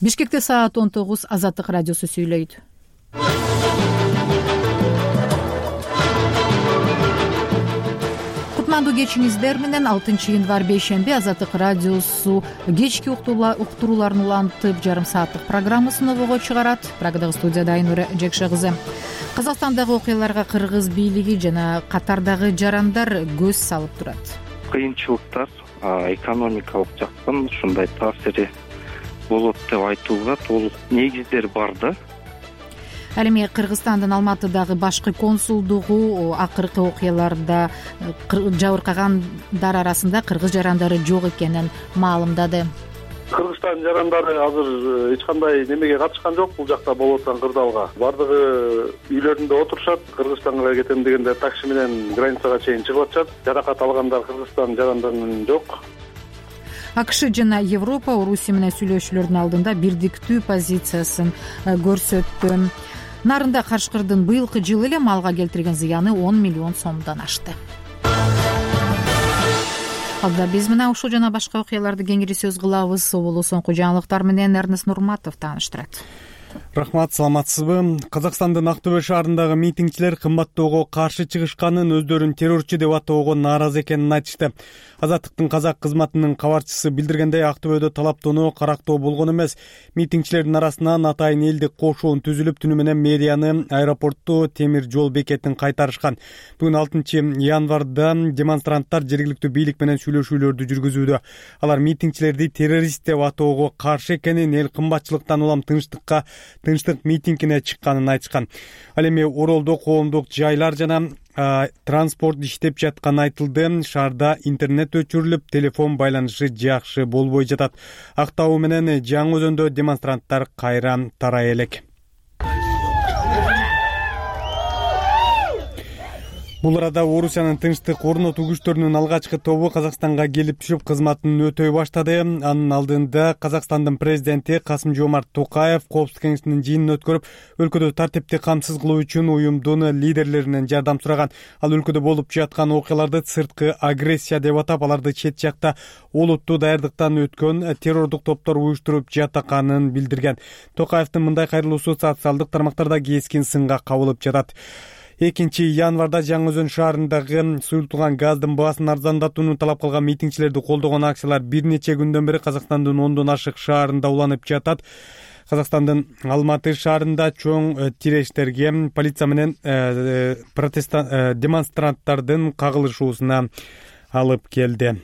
Бишкекте саат 19. Азаттык радиосу сүйлөйт. Кутмандуу кечиңиздер менен 6 январь бейшемби Азаттык радиосу кечки уктурууларын улантып жарым сааттык программасын обого чыгарат. Программада студияда Айнура Жекше кызы. Казакстандагы окуяларга кыргыз бийлиги жана катардагы жарандар көз салып турат. Кыйынчылыктар экономикалык жактан ушундай таасири болот деп айтууга толук негиздер бар да. Ал эми Кыргызстандын Алматыдагы башкы консулдугу акыркы окуяларда жабыркагандар арасында кыргыз жарандары жок экенин маалымдады. Кыргызстан жарандары азыр эч кандай немеге катышкан жок бул жакта болуп аткан кырдаалга. Бардыгы үйлөрүндө отурушат. Кыргызстанга кетем дегенде такси менен границага чейин чыгып атышат. Жаракат алгандар Кыргызстан жарандарынын жок. АКШ жана Европа Орусия менен сүйлөшүүлөрдүн алдында бирдиктүү позициясын көрсөттү. Нарында кашкырдын быйылкы жылы эле малга келтирген зыяны 10 миллион сомдон ашты. Алда биз менен ушул жана башка окуяларды кеңири сөз кылабыз. Оболу соңку жаңылыктар менен Эрнест Нурматов тааныштырат. Рахмат, саламатсызбы? Казакстандын Актөбө шаарындагы митингчилер кымбаттоого каршы чыгышканын, өздөрүн террорчу деп атоого нааразы экенин айтышты. Азаттыктын казак кызматынын кабарчысы билдиргендей, Актөбөдө талаптоону карактоо болгон эмес. Митингчилердин арасынан атайын элдик кошуун түзүлүп, түнү менен мэрияны, аэропортту, темир жол бекетин кайтарышкан. Бүгүн 6 январда демонстранттар жергиликтүү бийлик менен сүйлөшүүлөрдү жүргүзүүдө. Алар митингчилерди террорист деп атоого каршы экенин, эл кымбатчылыктан улам тынчтык митингине чыкканын айтышкан. Ал эми Оролдо коомдук жайлар жана транспорт иштеп жатканы айтылды. Шаарда интернет өчүрүлүп, телефон байланышы жакшы болбой жатат. Актау менен Жаңы Өзөндө демонстранттар кайра тарай элек. Бул арада Орусиянын тынчтык орнотуу күчтөрүнүн алгачкы тобу Казакстанга келип түшүп, кызматын өтөй баштады. Анын алдында Казакстандын президенти Касым-Жомарт Токаев Коопсуздук кеңешинин жыйынын өткөрүп, өлкөдө тартипти камсыз кылуу үчүн уюмдун лидерлеринен жардам сураган. Ал өлкөдө болуп жаткан окуяларды сырткы агрессия деп атап, аларды чет жакта олуттуу даярдыктан өткөн террордук топтор уюштуруп жатканын билдирген. Токаевдин мындай кайрылуусу социалдык тармактарда кескин сынга кабылып жатат. 2 январда Жаңы Өзөн шаарындагы суюлтулган газдын баасын арзандатууну талап кылган митингчилерди колдогон акциялар бир нече күндөн бери Казакстандын 10дон ашык шаарында уланып жатат. Казакстандын Алматы шаарында чоң тирештерге полиция менен демонстранттардын кагылышуусуна алып келди.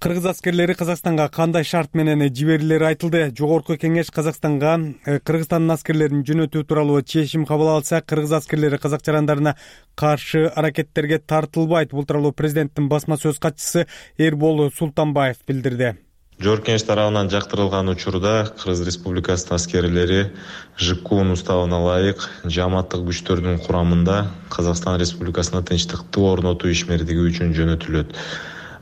Кыргыз аскерлери Казакстанга кандай шарт менен жиберилери айтылды. Жогорку кеңеш Казакстанга Кыргызстандын аскерлерин жөнөтүү тууралуу чечим кабыл алса, кыргыз аскерлери казак жарандарына каршы аракеттерге тартылбайт. Бул тууралуу президенттин басма сөз катчысы Эрбол Султанбаев билдирди. Жогорку кеңеш тарабынан жактырылган учурда Кыргыз Республикасынын аскерлери ЖКУнун уставына ылайык жамааттык күчтөрдүн курамында Казакстан Республикасына тынчтыкты орнотуу ишмердиги үчүн жөнөтүлөт.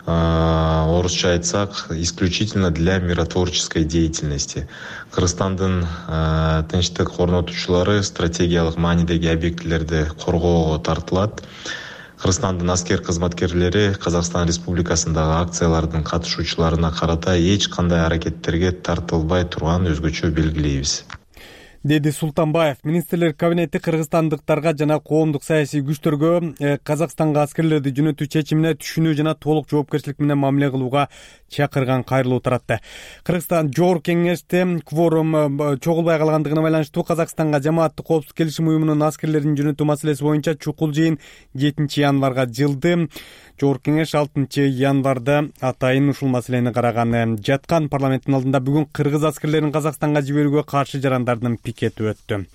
Орусча айтсак, исключительно для миротворческой деятельности. Кыргызстандын тынчтык орнотуучулары стратегиялык маанидеги объектилерди коргоого тартылат. Кыргызстандын аскер кызматкерлери Казакстан Республикасындагы акциялардын катышуучуларына карата эч кандай аракеттерге тартылбай турганын өзгөчө белгилейбиз, деди Султанбаев. Министрлер кабинети кыргызстандыктарга жана коомдук саясий күчтөргө Казакстанга аскерлерди жөнөтүү чечимине түшүнүү жана толук жоопкерчилик менен мамиле кылууга чакырган кайрылуу таратты. Кыргызстан жогорку кеңеште кворум чогулбай калгандыгына байланыштуу Казакстанга жамааттык коопсуздук келишим уюмунун аскерлерин жөнөтүү маселеси боюнча чукул жыйын 7 январга жылды. Жогорку кеңеш 6 январда атайын ушул маселени караган жаткан. Парламенттин алдында бүгүн кыргыз аскерлерин Казакстанга жиберүүгө каршы жарандардын пикети өттү.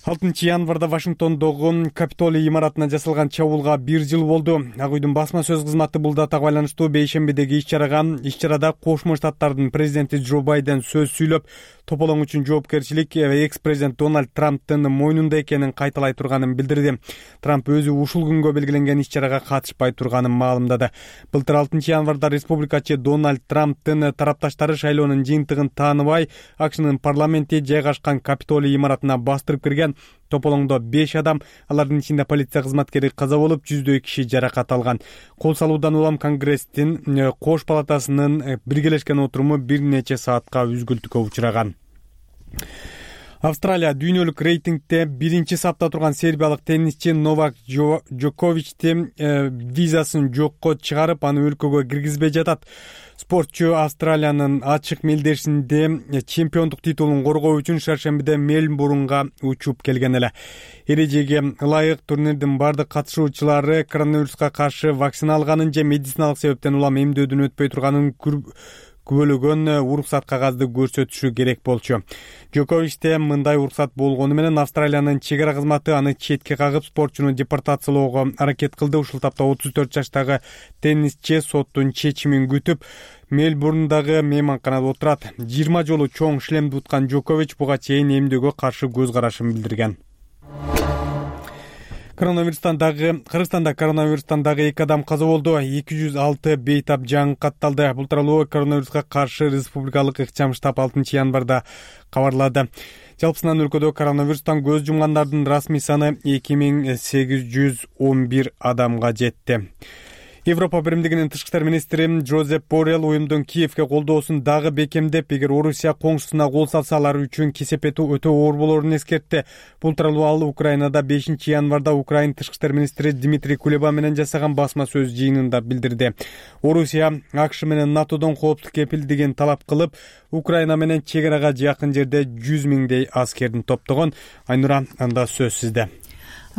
6 январда Вашингтондогу Капитолий имаратына жасалган чабуулга 1 жыл болду. Ак үйдүн басма сөз кызматы бул датага байланыштуу бейшембидеги иш-чарада Кошмо Штаттардын президенти Джо Байден сөз сүйлөп, тополоң үчүн жоопкерчилик экс-президент Дональд Трамптын мойнунда экенин кайталай турганын билдирди. Трамп өзү ушул күнгө белгиленген иш-чарага катышпай турганын маалымдады. Былтыр 6 январда республикачы Дональд Трамптын тарапташтары шайлоонун жыйынтыгын тааныбай, АКШнын парламенти жайгашкан Капитолий имаратына бастырып кирген. тополоңдо 5 адам, алардын ичинде полиция кызматкери каза болуп, 100дөй киши жаракат алган. Кол салуудан улам Конгресстин кош палатасынын биргелешкен отуруму бир нече саатка үзгүлтүккө учураган. Австралия дүйнөлүк рейтингде 1-сапта турган сербиялык теннисчи Новак Джоковичти визасын жокко чыгарып, аны өлкөгө киргизбей жатат. Спортчу Австралиянын ачык мелдешинде чемпиондук титулун коргоо үчүн шаршембиде Мельбурнга учуп келген эле. Эрежеге ылайык турнирдин бардык катышуучулары коронавируска каршы вакцина алганын же медициналык себептен улам эмдөөдөн өтпөй турганын күбөлөгөн уруксат кагазды көрсөтүшү керек болчу. Джоковичте мындай уруксат болгону менен Австралиянын чек ара кызматы аны четке кагып, спортчуну депортациялоого аракет кылды. Ушул тапта 34 жаштагы теннисчи соттун чечимин күтүп Мельбурндагы мейманканада отурат. 20 жолу чоң шлемди уткан Джокович буга чейин эмдөөгө каршы көз карашын билдирген. Кыргызстанда коронавирустан дагы 2 адам каза болду. 206 бейтап жаңы катталды. Бул тууралуу коронавируска каршы республикалык ыкчам штаб 6 январда кабарлады. Жалпысынан өлкөдө коронавирустан көз жумгандардын расмий саны 2811 адамга жетти. Европа биримдигинин тышкы иштер министри Жозеп Боррелл уюмдун Киевге колдоосун дагы бекемдеп, эгер Орусия коңшусуна кол салса, алар үчүн кесепети өтө оор болорун эскертти. Бул тууралуу ал Украинада 5 январда Украин тышкы иштер министри Дмитрий Кулеба менен жасаган басма сөз жыйынында билдирди. Орусия АКШ менен НАТОдон коопсуздук кепилдигин талап кылып, Украина менен чек арага жакын жерде 100 миңдей аскердин топтогон. Айнура, анда сөз сизде.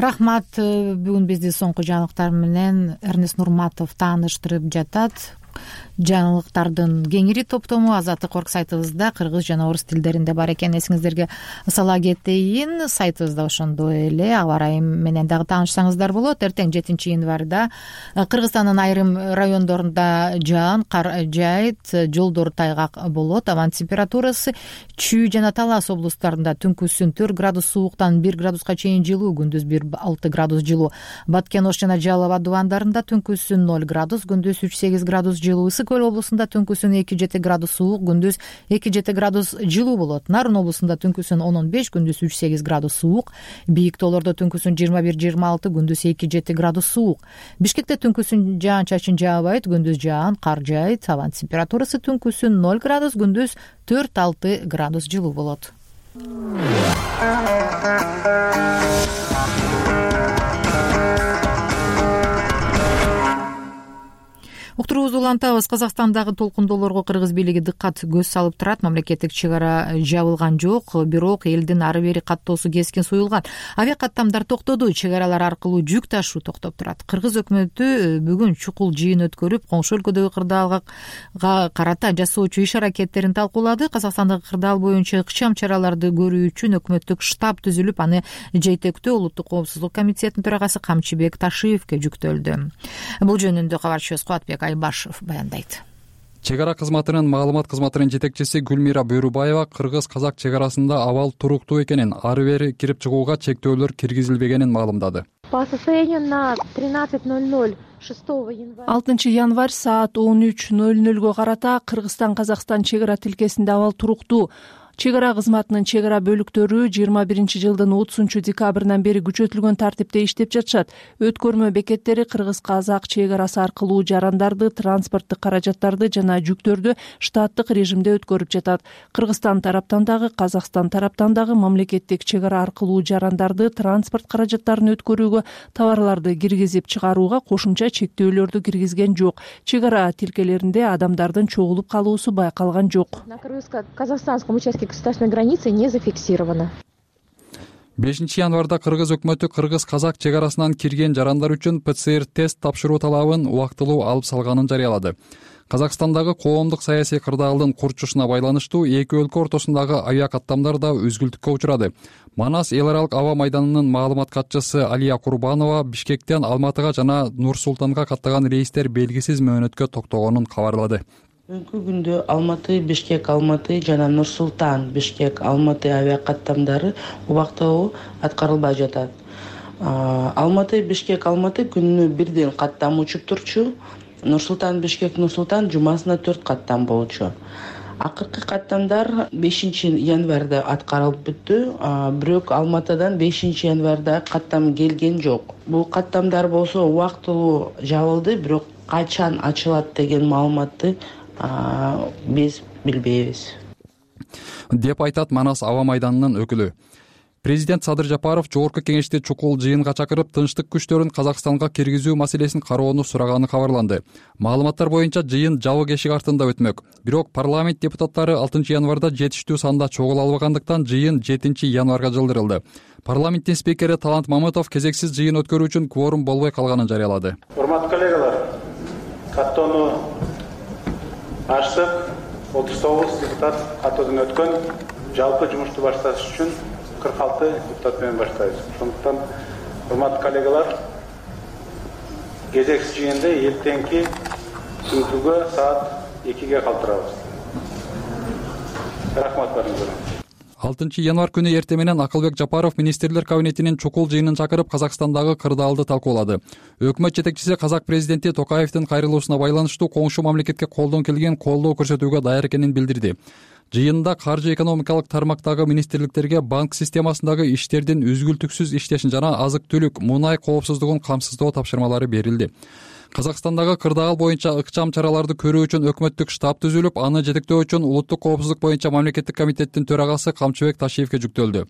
Рахмат. Бүгүн бизди соңку жаңылыктар менен Эрнест Нурматов тааныштырып жатат. Жаңылыктардын кеңири топтому Азаттык орг сайтыбызда кыргыз жана орус тилдеринде бар экен. Эсиңиздерге сала кетейин, сайтыбызда ошондой эле аба ырайы менен дагы таанышсаңыздар болот. Эртең 7 январда Кыргызстандын айрым райондорунда жаан, кар жайыт, жолдор тайгак болот. Абанын температурасы Чүй жана Талас облустарында түнкүсүн 4 градус сууктан 1 градуска чейин жылуу, күндүз 1-6 градус жылуу. Баткен Ош жана Жалал Абад дубандарында түнкүсүн 0 градус, күндүз 3-8 градус жылуу. Ысык Көл облусунда түнкүсүн 2-7 градус суук, күндүз 2-7 градус жылуу болот. Нарын облусунда түнкүсүн 10-15, күндүз 3-8 градус суук. Бийик тоолордо түнкүсүн 21-26, күндүз 2-7 градус суук. Бишкекте түнкүсүн жаан-чачын жаабайт, күндүз жаан, кар жайыт. Абанын температурасы түнкүсүн 0 градус, күндүз 4-6 градус жылуу болот. Уктуруубузду улантабыз. Казакстандагы толкундоолорго кыргыз бийлиги дыккат көз салып турат. Мамлекеттик чек ара жабылган жок, бирок элдин ары бери каттоосу кескин суюлган. Авиа каттамдар токтоду, чек аралар аркылуу жүк ташуу токтоп турат. Кыргыз өкмөтү бүгүн чукул жыйын өткөрүп, коңшу өлкөдөгү кырдаалга карата жасоочу иш аракеттерин талкуулады. Казакстандагы кырдаал боюнча ыкчам чараларды көрүү үчүн өкмөттүк штаб түзүлүп, аны жетектөө Улуттук коопсуздук комитетинин төрагасы Камчыбек Ташиевке жүктөлдү. Бул жөнүндө кабарчыбыз Кубатбек Айбашев баяндайт. Чек ара кызматынын маалымат кызматынын жетекчиси Гүлмира Бөрүбаева кыргыз-казак чек арасында абал туруктуу экенин, ары бери кирип чыгууга чектөөлөр киргизилбегенин маалымдады. По состоянию на 13:00 6 января 6 январь саат 13:00 карата Кыргызстан-Казакстан чек ара тилкесинде абал туруктуу. Чек ара кызматынын чек ара бөлүктөрү 21-жылдын 30-декабрынан бери күчөтүлгөн тартипте иштеп жатышат. Өткөрмө бекеттери кыргыз-казак чек арасы аркылуу жарандарды, транспорттук каражаттарды жана жүктөрдү штаттык режимде өткөрүп жатат. Кыргызстан тараптан дагы, Казакстан тараптан дагы мамлекеттик чек ара аркылуу жарандарды, транспорт каражаттарын өткөрүүгө, товарларды киргизип чыгарууга кошумча чектөөлөрдү киргизген жок. Чек ара тилкелеринде адамдардын чогулуп калуусу байкалган жок. На кыргызско-казахстанском участке государственной границы не зафиксировано. 5 январда кыргыз өкмөтү кыргыз-казак чек арасынан кирген жарандар үчүн ПЦР-тест тапшыруу талабын убактылуу алып салганын жарыялады. Казакстандагы коомдук саясий кырдаалдын курчушуна байланыштуу эки өлкө ортосундагы авиа каттамдар да үзгүлтүккө учурады. Манас эл аралык аба майданынын маалымат катчысы Алия Курбанова Бишкектен Алматыга жана Нур-Султанга каттаган рейстер белгисиз мөөнөткө токтогонун кабарлады. Бүгүнкү күндө Алматы, Бишкек, Алматы жана Нур-Султан, Бишкек, Алматы авиа каттамдары убактылуу аткарылбай жатат. Алматы, Бишкек, Алматы күнүнө бирден каттам учуп турчу. Нур-Султан, Бишкек, Нур-Султан жумасына 4 каттам болчу. Акыркы каттамдар 5 январда аткарылып бүттү. Бирок Алматыдан 5 январда каттам келген жок. Бул каттамдар болсо убактылуу жабылды, бирок качан ачылат деген маалыматты биз билбейбиз, деп айтат Манас аба майданынын өкүлү. Президент Садыр Жапаров жогорку кеңешти чукул жыйынга чакырып, тынчтык күчтөрүн Казакстанга киргизүү маселесин кароону сураганы кабарланды. Маалыматтар боюнча жыйын жабык эшик артында өтмөк. Бирок парламент депутаттары 6 январда жетиштүү санда чогула албагандыктан жыйын 7 январга жылдырылды. Парламенттин спикери Талант Мамытов кезексиз жыйын өткөрүү үчүн кворум болбой калганын жарыялады. Урматтуу коллегалар, каттоону ачтык. 39 депутат каттоодон өткөн. Жалпы жумушту башташ үчүн 46 депутат менен баштайбыз. Ошондуктан, урматтуу коллегалар, кезексиз жыйынды эртеңки түнкүгө саат 2-ге калтырабыз. Рахмат барыңыздарга. 6 январ күнү эртең менен Акылбек Жапаров министрлер кабинетинин чукул жыйынын чакырып, Казакстандагы кырдаалды талкуулады. Өкмөт жетекчиси казак президенти Токаевдин кайрылуусуна байланыштуу коңшу мамлекетке колдон келген колдоо көрсөтүүгө даяр экенин билдирди. Жыйында каржы экономикалык тармактагы министрликтерге банк системасындагы иштердин үзгүлтүксүз иштешин жана азык-түлүк, мунай коопсуздугун камсыздоо тапшырмалары берилди. Казакстандагы кырдаал боюнча ыкчам чараларды көрүү үчүн өкмөттүк штаб түзүлүп, аны жетектөө үчүн Улуттук коопсуздук боюнча мамлекеттик комитеттин төрагасы Камчыбек Ташиевке жүктөлдү.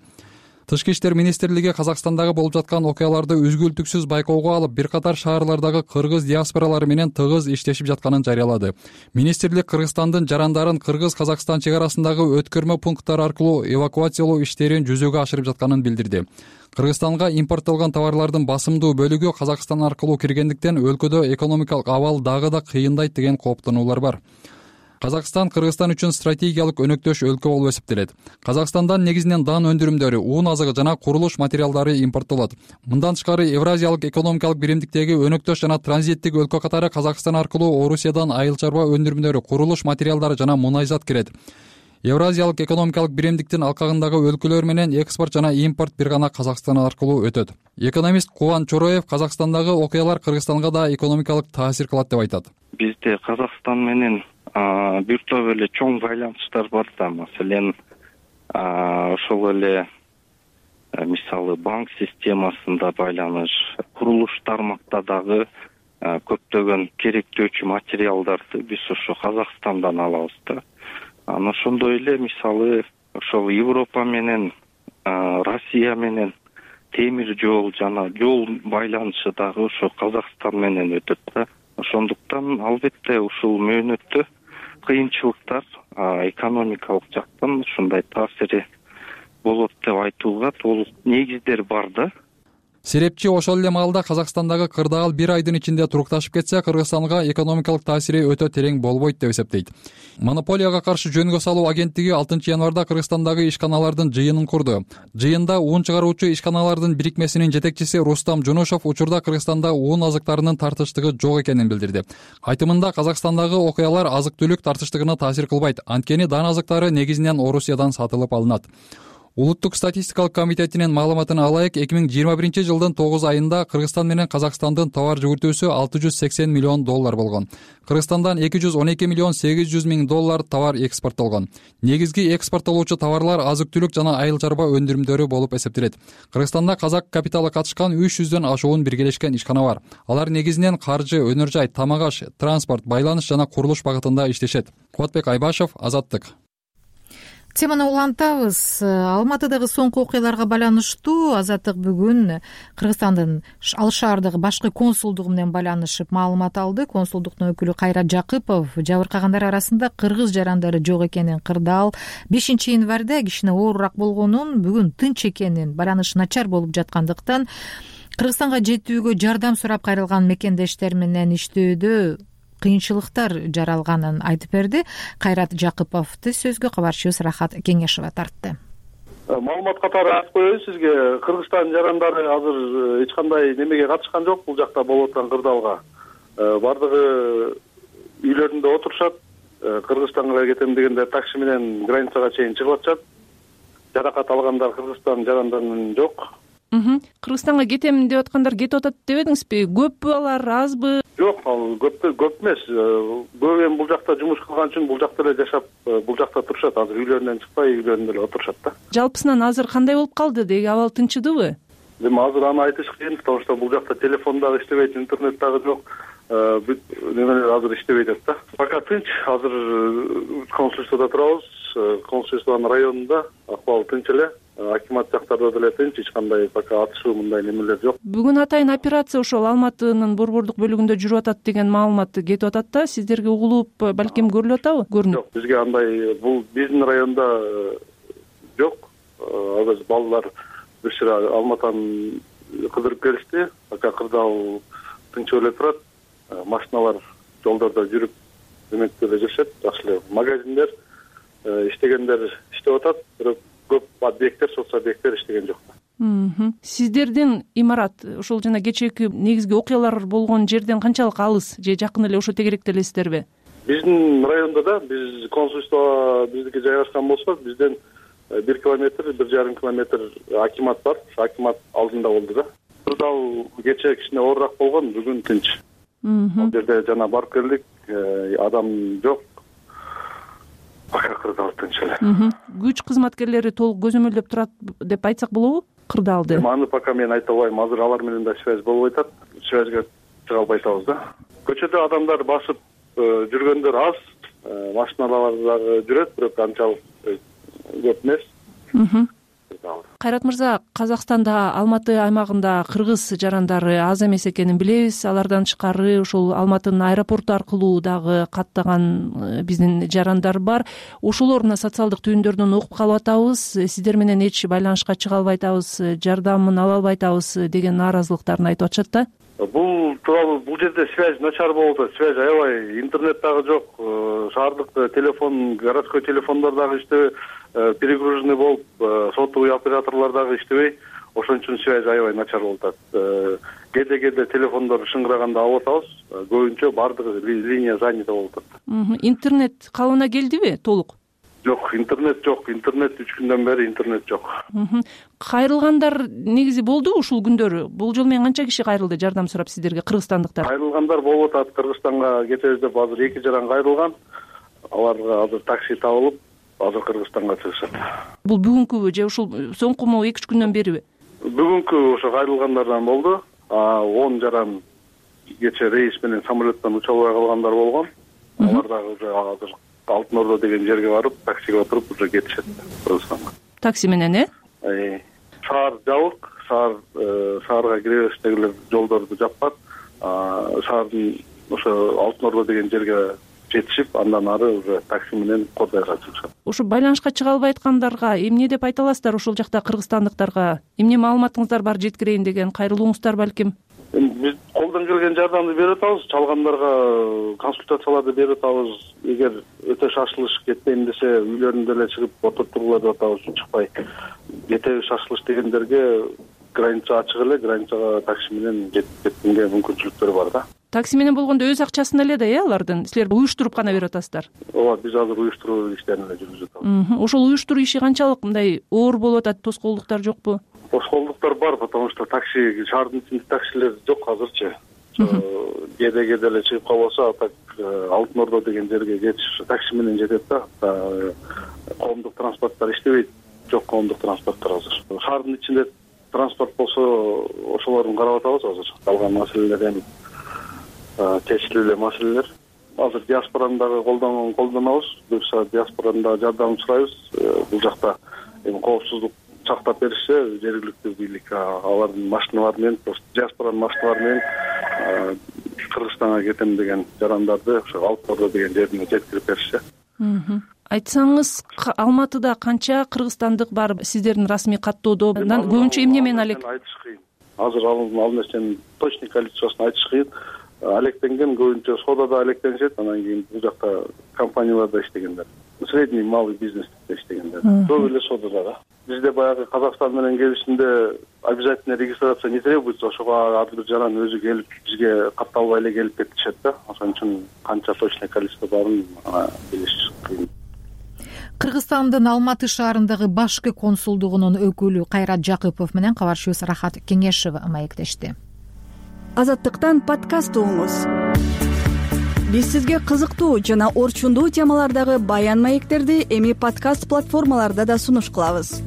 Тышкы иштер министрлиги Казакстандагы болуп жаткан окуяларды үзгүлтүксүз байкоого алып, бир катар шаарлардагы кыргыз диаспоралары менен тыгыз иштешип жатканын жарыялады. Министрлик Кыргызстандын жарандарын Кыргыз-Казакстан чек арасындагы өткөрмө пункттар аркылуу эвакуациялоо иштерин жүзөгө ашырып жатканын билдирди. Кыргызстанга импорттолгон товарлардын басымдуу бөлүгү Казакстан аркылуу киргендиктен өлкөдө экономикалык абал дагы да кыйындайт деген кооптонуулар бар. Казакстан Кыргызстан үчүн стратегиялык өнөктөш өлкө болуп эсептелет. Казакстандан негизинен дан өндүрүмдөрү, уун азыгы жана курулуш материалдары импорттолот. Мындан тышкары Евразиялык экономикалык биримдиктеги өнөктөш жана транзиттик өлкө катары Казакстан аркылуу Орусиядан айыл чарба өндүрүмдөрү, курулуш материалдары жана мунайзат кирет. Евразиялык экономикалык биримдиктин алкагындагы өлкөлөр менен экспорт жана импорт бир гана Казакстан аркылуу өтөт. Экономист Кубан Чороев Казакстандагы окуялар Кыргызстанга да экономикалык таасир кылат деп айтат. Бизде Казакстан менен бир топ эле чоң байланыштар бар да. Маселен, ошол эле мисалы банк системасында байланыш, курулуш тармакта дагы көптөгөн керектөөчү материалдарды биз ошо Казакстандан алабыз да. Ошондой эле мисалы ошол Европа менен Россия менен темир жол жана жол байланышы дагы ошо Казакстан менен өтөт да. Ошондуктан албетте ушул мөөнөттө кыйынчылыктар экономикалык жактан ушундай таасири болот деп айтууга толук негиздер бар да. Серепчи ошол эле маалда Казакстандагы кырдаал бир айдын ичинде турукташып кетсе, Кыргызстанга экономикалык таасири өтө терең болбойт деп эсептейт. Монополияга каршы жөнгө салуу агенттиги 6 январда Кыргызстандагы ишканалардын жыйынын курду. Жыйында уун чыгаруучу ишканалардын бирикмесинин жетекчиси Рустам Жунушов учурда Кыргызстанда уун азыктарынын тартыштыгы жок экенин билдирди. Айтымында Казакстандагы окуялар азык-түлүк тартыштыгына таасир кылбайт, анткени дан азыктары негизинен Орусиядан сатылып алынат. Улуттук статистикалык комитетинин маалыматына алайык, 2021 жылдын 9 айында Кыргызстан менен Казакстандын товар жүгүртүүсү $680 миллион болгон. Кыргызстандан $212 миллион 800 миң товар экспорттолгон. Негизги экспорттолуучу товарлар азык-түлүк жана айыл чарба өндүрүмдөрү болуп эсептелет. Кыргызстанда казак капиталы катышкан 300дөн ашуун биргелешкен ишкана бар. Алар негизинен каржы, өнөр жай, тамак аш, транспорт, байланыш жана курулуш багытында иштешет. Кубатбек Айбашев, Азаттык. Теманы улантабыз. Алматыдагы соңку окуяларга байланыштуу Азаттык бүгүн Кыргызстандын ал шаардагы башкы консулдугу менен байланышып маалымат алды. Консулдуктун өкүлү Кайрат Жакыпов жабыркагандар арасында кыргыз жарандары жок экенин, кырдаал 5 январда кичине оорураак болгонун, бүгүн тынч экенин, байланыш начар болуп жаткандыктан Кыргызстанга жетүүгө жардам сурап кайрылган мекендештер менен иштөөдө кыйынчылыктар жаралганын айтып берди. Кайрат Жакыповду сөзгө кабарчыбыз Рахат Кеңешова тартты. Маалымат катары айтып коеюн сизге, Кыргызстан жарандары азыр эч кандай немеге катышкан жок бул жакта болуп аткан кырдаалга. Бардыгы үйлөрүндө отурушат, Кыргызстанга кетем дегенде такси менен границага чейин чыгып атышат. Жаракат алгандар Кыргызстан жарандарынын жок. Кыргызстанга кетем деп аткандар кетип атат дебедиңизби? Көппү алар, азбы? Жок, ал көп эмес. Көп эми бул жакта жумуш кылган үчүн бул жакта эле жашап, бул жакта турушат. Азыр үйлөрүнөн чыкпай, үйлөрүндө эле отурушат да. Жалпысынан азыр кандай болуп калды деги, абал тынчыдыбы? Эми азыр аны айтыш кыйын, потому что бул жакта телефон дагы иштебейт, интернет дагы жок. Немелер азыр иштебей атат да. Пока тынч. Азыр консульствода турабыз. Консульствонун районунда акыбал тынч эле. Акимат жактарда деле тынч, эч кандай пока атышуу мындай немелер жок. Бүгүн атайын операция ошол Алматынын борбордук бөлүгүндө жүрүп атат деген маалымат кетип атат да. Сиздерге угулуп, балким көрүлүп атабы? Көрүнүп? Жок, бизге андай бул биздин районда жок. Азыр балдар бир сыра Алматаны кыдырып келишти. Пока кырдаал тынчып эле турат. Машиналар жолдордо жүрүп эмектеп эле жүрүшөт. Жакшы эле магазиндер иштегендер иштеп атат, бирок көп объекттер, соцобъекттер иштеген жок. Сиздердин имарат ошол жана кечээки негизги окуялар болгон жерден канчалык алыс же жакын эле ошо тегеректе элесиздерби? Биздин райондо да, биз консульство биздики жайгашкан болсо, бизден 1 километр, 1,5 километр акимат бар. Акимат алдында болду да. Кырдаал кечээ кичине оорураак болгон, бүгүн тынч. Ал жерде жана барып келдик, адам жок. Пока кырдаал тынч эле. Күч кызматкерлери толук көзөмөлдөп турат деп айтсак болобу кырдаалды? Аны пока мен айта албайм. Азыр алар менен да связь болбой атат. Связьга чыга албай атабыз да. Көчөдө адамдар басып жүргөндөр аз, машиналар дагы жүрөт, бирок анчалык көп эмес. Кайрат мырза, Казакстанда Алматы аймагында кыргыз жарандары аз эмес экенин билебиз. Алардан тышкары ошол Алматынын аэропорту аркылуу дагы каттаган биздин жарандар бар. Ошолор мына социалдык түйүндөрдөн окуп калып атабыз, сиздер менен эч байланышка чыга албай атабыз, жардамын ала албай атабыз деген нааразылыктарын айтып атышат да. Бул тууралуу бул жерде связь начар болуп атат, связь аябай, интернет дагы жок, шаардык телефон, городской телефондор дагы иштебей, перегруженный болуп, сотовый операторлор дагы иштебей, ошон үчүн связь аябай начар болуп атат. Кээде телефондор шыңгыраганда алып атабыз, көбүнчө бардыгы линия занята болуп атат. Интернет калыбына келдиби толук? Жок, интернет жок. Интернет 3 күндөн бери интернет жок. Кайрылгандар негизи болду ушул күндөрү. Бул жолу менен канча киши кайрылды жардам сурап сиздерге, кыргызстандыктар? Кайрылгандар болуп атат. Кыргызстанга кетебиз деп азыр 2 жаран кайрылган. Аларга азыр такси табылып, азыр Кыргызстанга чыгышат. Бул бүгүнкүбү же ушул соңкуму 2-3 күндөн бериби? Бүгүнкү ошо кайрылгандардан болду. 10 жаран кечээ рейс менен самолеттон уча албай калгандар болгон. Алар дагы уже азыр Алтын Ордо деген жерге барып, таксиге отуруп уже кетишет Кыргызстанга. Такси менен, Шаар жабык, шаарга кире бериштегилер жолдорду жаппат. Шаардын ошо Алтын Ордо деген жерге жетишип, андан ары уже такси менен Кордайга чыгышат. Ошо байланышка чыга албай аткандарга эмне деп айта аласыздар, ошол жакта кыргызстандыктарга? Эмне маалыматыңыздар бар жеткирейин деген кайрылууңуздар балким? Биз колдон келген жардамды берип атабыз, чалгандарга консультацияларды берип атабыз. Эгер өтө шашылыш кетпейм десе, үйлөрүндө эле чыгып отуртурлар деп атабыз, чыкпай. Кетеби шашылыш дегендерге граница ачык эле, границага такси менен жеткенге мүмкүнчүлүктөр бар да. Такси менен болгондо өз акчасын эле да, алардын силер уюштуруп гана берип атасыздар? Ооба, биз азыр уюштуруу иштерин эле жүргүзүп атабыз. Ошол уюштуруу иши канчалык мындай оор болуп атат, тоскоолдуктар жокпу? Тоскоолдуктар бар, потому что такси, шаардын ичинде таксилер жок азырчы. Кээде эле чыгып калбаса, так Алтын Ордо деген жерге кетиш такси менен жетет да. Коомдук транспорттор иштебейт, жок коомдук транспорттор азыр. Шаардын ичинде транспорт болсо, ошолорун карап атабыз азыр. Калган маселелер эми чечилип эле маселелер. Азыр диаспораны дагы колдонобуз. Буюрса диаспоранын дагы жардамын сурайбыз. Бул жакта эми коопсуздук сактап беришсе, жергиликтүү бийлик алардын машиналары менен, диаспоранын машиналары менен Кыргызстанга кетем деген жарандарды ошо Алтын Ордо деген жерине жеткирип беришсе. Айтсаңыз, Алматыда канча кыргызстандык бар сиздердин расмий каттоодо? Көбүнчө эмне менен айтыш кыйын. Азыр ал нерсенин точный количествосын айтыш кыйын. Алектенген көбүнчө содада алектенишет, анан кийин бул жакта компанияларда иштегендер. Средний малый бизнесте иштегендер. Көп эле содада да. Бизде баягы Казакстан менен келишимде обязательно регистрация не требуется, ошого ар бир жаран өзү келип бизге катталбай эле келип кетишет да. Ошон үчүн канча точный количество барын билиш кыйын. Кыргызстандын Алматы шаарындагы башкы консулдугунун өкүлү Кайрат Жакыпов менен кабарчыбыз Рахат Кеңешева маектешти. Азаттыктан подкаст угуңуз. биз сизге кызыктуу жана орчундуу темалардагы баян маектерди эми подкаст платформаларда да сунуш кылабыз.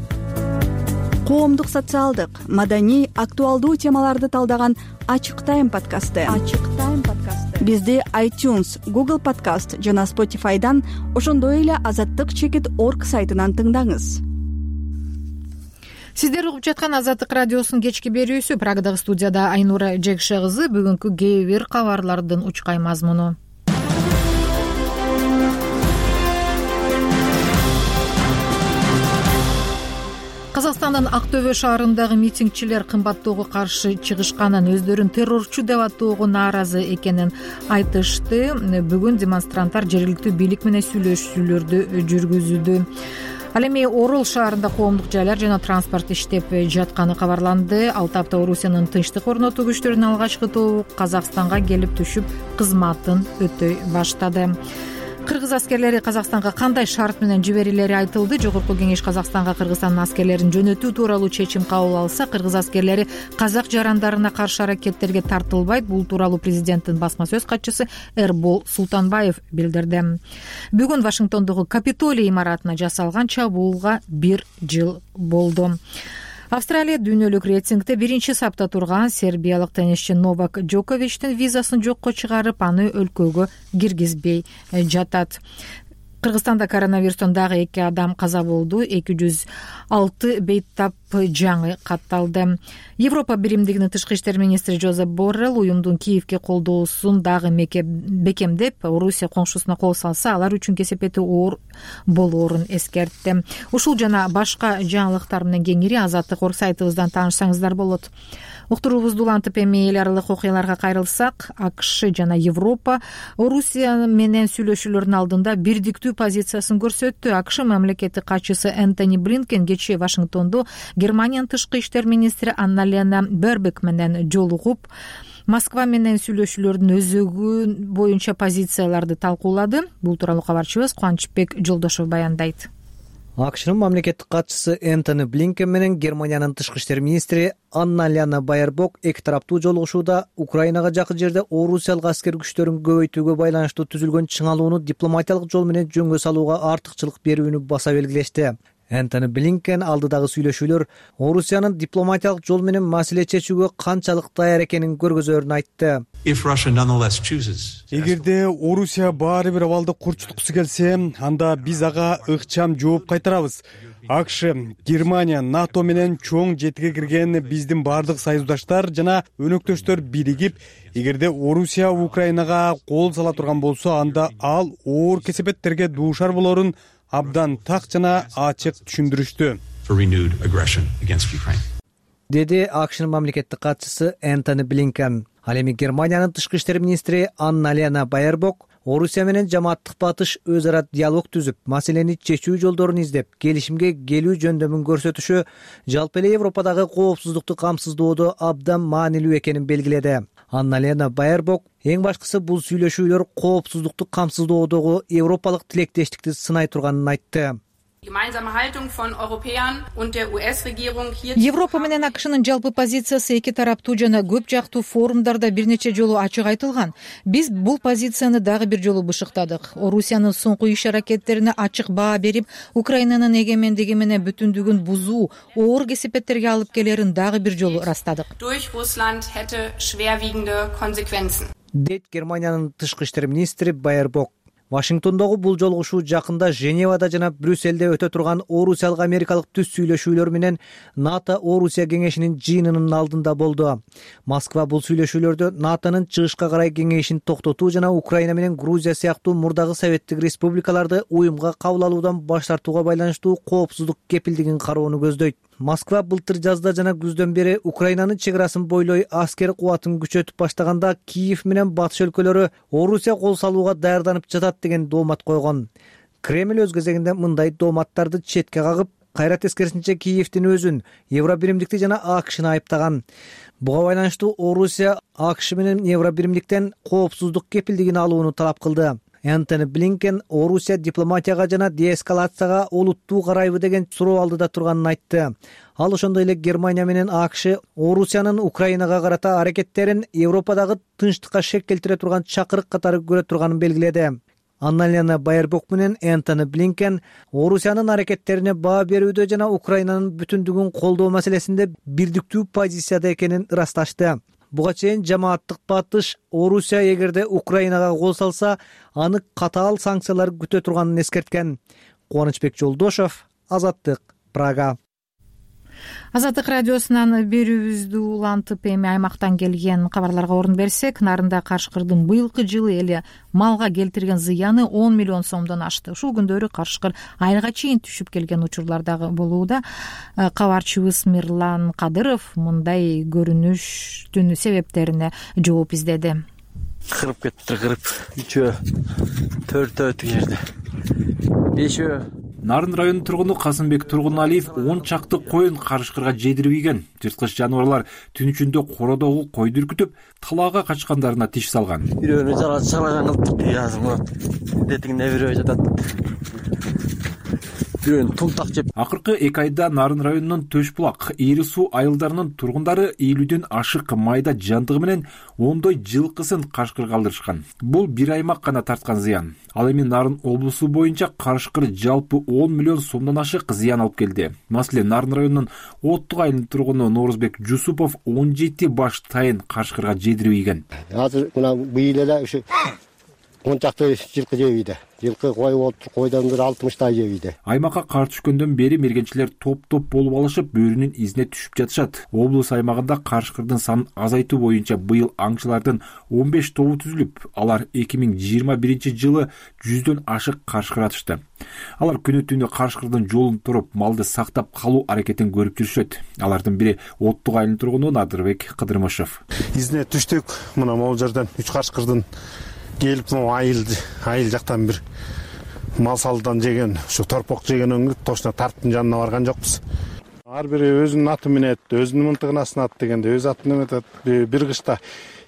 Коомдук, социалдык, маданий, актуалдуу темаларды талдаган Ачык Тайм подкасты. Бизди iTunes, Google Podcast жана Spotify'дан, ошондой эле azattyk.org сайтынан тыңдаңыз. Сиздер угуп жаткан Азаттык радиосунун кечки берүүсү. Прагдагы студияда Айнура Жекше кызы. Бүгүнкү кээ бир кабарлардын учкай мазмуну. Казакстандын Ак Төбө шаарындагы митингчилер кымбаттоого каршы чыгышканын, өздөрүн террорчу деп атоого нааразы экенин айтышты. Бүгүн демонстранттар жергиликтүү бийлик менен сүйлөшүүлөрдү жүргүзүүдө. Ал эми Орул шаарында коомдук жайлар жана транспорт иштеп жатканы кабарланды. Ал тапта Орусиянын тынчтык орнотуу күчтөрүнүн алгачкы тобу Казакстанга келип түшүп, кызматын өтөй баштады. Кыргыз аскерлери Казакстанга кандай шарт менен жиберилери айтылды. Жогорку кеңеш Казакстанга Кыргызстандын аскерлерин жөнөтүү тууралуу чечим кабыл алса, кыргыз аскерлери казак жарандарына каршы аракеттерге тартылбайт. Бул тууралуу президенттин басма сөз катчысы Эрбол Султанбаев билдирди. Бүгүн Вашингтондогу Капитолий имаратына жасалган чабуулга 1 жыл болду. Австралия дүйнөлүк рейтингде биринчи сапта турган сербиялык теннисчи Новак Джоковичтин визасын жокко чыгарып, аны өлкөгө киргизбей жатат. Кыргызстанда коронавирустан дагы 2 адам каза болду. 206 бейтап жаңы катталды. Европа биримдигинин тышкы иштер министри Жозеп Боррелл уюмдун Киевге колдоосун дагы бекемдеп, Орусия коңшусуна кол салса, алар үчүн кесепети оор болоорун эскертти. Ушул жана башка жаңылыктар менен кеңири Азаттык.org сайтыбыздан таанышсаңыздар болот. Уктуруубузду улантып, эми эл аралык окуяларга кайрылсак, АКШ жана Европа Орусия менен сүйлөшүүлөрдүн алдында бирдиктүү позициясын көрсөттү. АКШ мамлекеттик катчысы Энтони Блинкен кечээ Вашингтондо Германиянын тышкы иштер министри Анна-Лена Бербек менен жолугуп, Москва менен сүйлөшүүлөрдүн өзөгү боюнча позицияларды талкуулады. Бул тууралуу кабарчыбыз Кубанычбек Жолдошов баяндайт. АКШнын мамлекеттик катчысы Энтони Блинкен менен Германиянын тышкы иштер министри Анна-Лена Байербок эки тараптуу жолугушууда Украинага жакын жерде орусиялык аскер күчтөрүн көбөйтүүгө байланыштуу түзүлгөн чыңалууну дипломатиялык жол менен жөнгө салууга артыкчылык берүүнү баса белгилешти. Энтони Блинкен алдыдагы сүйлөшүүлөр Орусиянын дипломатиялык жол менен маселе чечүүгө канчалык даяр экенин көргөзөрүн айтты. Эгерде Орусия баары бир абалды курчуткусу келсе, анда биз ага ыкчам жооп кайтарабыз. АКШ, Германия, НАТО менен чоң жетиге кирген биздин баардык союздаштар жана өнөктөштөр биригип, эгерде Орусия Украинага кол сала турган болсо, анда ал оор кесепеттерге дуушар болорун абдан так жана ачык түшүндүрүштү, деди АКШнын мамлекеттик катчысы Энтони Блинкен. Ал эми Германиянын тышкы иштер министри Анна-Лена Байербок Орусия менен жамааттык батыш өз ара диалог түзүп, маселени чечүү жолдорун издеп, келишимге келүү жөндөмүн көрсөтүшү жалпы эле Европадагы коопсуздукту камсыздоодо абдан маанилүү экенин белгиледи. Анна-Лена Байербок эң башкысы бул сүйлөшүүлөр коопсуздукту камсыздоодогу европалык тилектештикти сынай турганын айтты. Европа менен АКШнын жалпы позициясы эки тараптуу жана көп жактуу форумдарда бир нече жолу ачык айтылган. Биз бул позицияны дагы бир жолу бышыктадык. Орусиянын соңку иш аракеттерине ачык баа берип, Украинанын эгемендиги менен бүтүндүгүн бузуу, оор кесепеттерге алып келерин дагы бир жолу ырастадык. Дейт Германиянын тышкы иштер министри Байербок. Вашингтондогу бул жолугушуу жакында Женевада жана Брюсселде өтө турган орусиялык америкалык түз сүйлөшүүлөр менен НАТО Орусия кеңешинин жыйынынын алдында болду. Москва бул сүйлөшүүлөрдө НАТОнун чыгышка карай кеңешин токтотуу жана Украина менен Грузия сыяктуу мурдагы советтик республикаларды уюмга кабыл алуудан баш тартууга байланыштуу коопсуздук кепилдигин кароону көздөйт. Москва былтыр жазда жана күздөн бери Украинанын чек арасын бойлой аскер кубатын күчөтүп баштаганда Киев менен батыш өлкөлөрү Орусия кол салууга даярданып жатат деген доомат койгон. Кремль өз кезегинде мындай дооматтарды четке кагып, кайра тескерисинче Киевдин өзүн, Евробиримдикти жана АКШны айыптаган. Буга байланыштуу Орусия АКШ менен Евробиримдиктен коопсуздук кепилдигин алууну талап кылды. Энтони Блинкен Орусия дипломатияга жана деэскалацияга олуттуу карайбы деген суроо алдыда турганын айтты. Ал ошондой эле Германия менен АКШ Орусиянын Украинага карата аракеттерин Европадагы тынчтыкка шек келтире турган чакырык катары көрө турганын белгиледи. Анна-Лена Байербок менен Энтони Блинкен Орусиянын аракеттерине баа берүүдө жана Украинанын бүтүндүгүн колдоо маселесинде бирдиктүү позицияда экенин ырасташты. Буга чейин жамааттык батыш Орусия эгерде Украинага кол салса, аны катаал санкциялар күтө турганын эскерткен. Кубанычбек Жолдошов, Азаттык, Прага. Азаттык радиосунан берүүбүздү улантып эми аймактан келген кабарларга орун берсек, Нарында карышкырдын быйылкы жылы эле малга келтирген зыяны 10 миллион сомдон ашты. Ушул күндөрү карышкыр айылга чейин түшүп келген учурлар дагы болууда. Кабарчыбыз Мирлан Кадыров мындай көрүнүштүн себептерине жооп издеди. Кырып кетти, кырып. 3-өө, 4-өө тиги жерде. 5-өө. Нарын районунун тургуну Касымбек Тургуналиев 10 чакты коюн карышкырга жедирип ийген. Жырткыч жаныбарлар түн ичинде кородогу койду үркүтүп, талаага качкандарына тиш салган. Бирөөнү жалаган кылып, азыр мына детиңне бирөө жатат. Бирөөнү тултак жеп. Акыркы 2 айда Нарын районунун Төшбулак, Ийри суу айылдарынын тургундары 50дөн ашык майда жандыгы менен ондой жылкысын карышкырга алдырышкан. Бул бир аймак гана тарткан зыян. Ал эми Нарын облусу боюнча карышкыр жалпы 10 миллион сомдон ашык зыян алып келди. Маселен, Нарын районунун Оттук айылынын тургуну Норузбек Жусупов 17 баш тайын карышкырга жедирип ийген. Азыр мына быйыл эле ушу 10 чакты жылкы жебейди. Жылкы кой болуп, койдон бир 60 жебейди. Аймакка кар түшкөндөн бери мергенчилер топ-топ болуп алышып, бөөрүнүн изине түшүп жатышат. Облус аймагында карышкырдын санын азайтуу боюнча быйыл аңчылардын 15 тобу түзүлүп, алар 2021 жылы 100дөн ашык карышкыр атышты. Алар күнү-түнү карышкырдын жолун туруп, малды сактап калуу аракетин көрүп жүрүшөт. Алардын бири Оттук айылынын тургуну Надырбек Кыдырмышев. Изине түштүк, мына могул жерден 3 карышкырдын келип, айыл жактан бир мал салдан жеген, ушу торпок жеген өңгүп, точно тарттын жанына барган жокпуз. Ар бири өзүнүн аты менен, өзүнүн мынтыгын астына дегенде, өз атын эметет. Бир кышта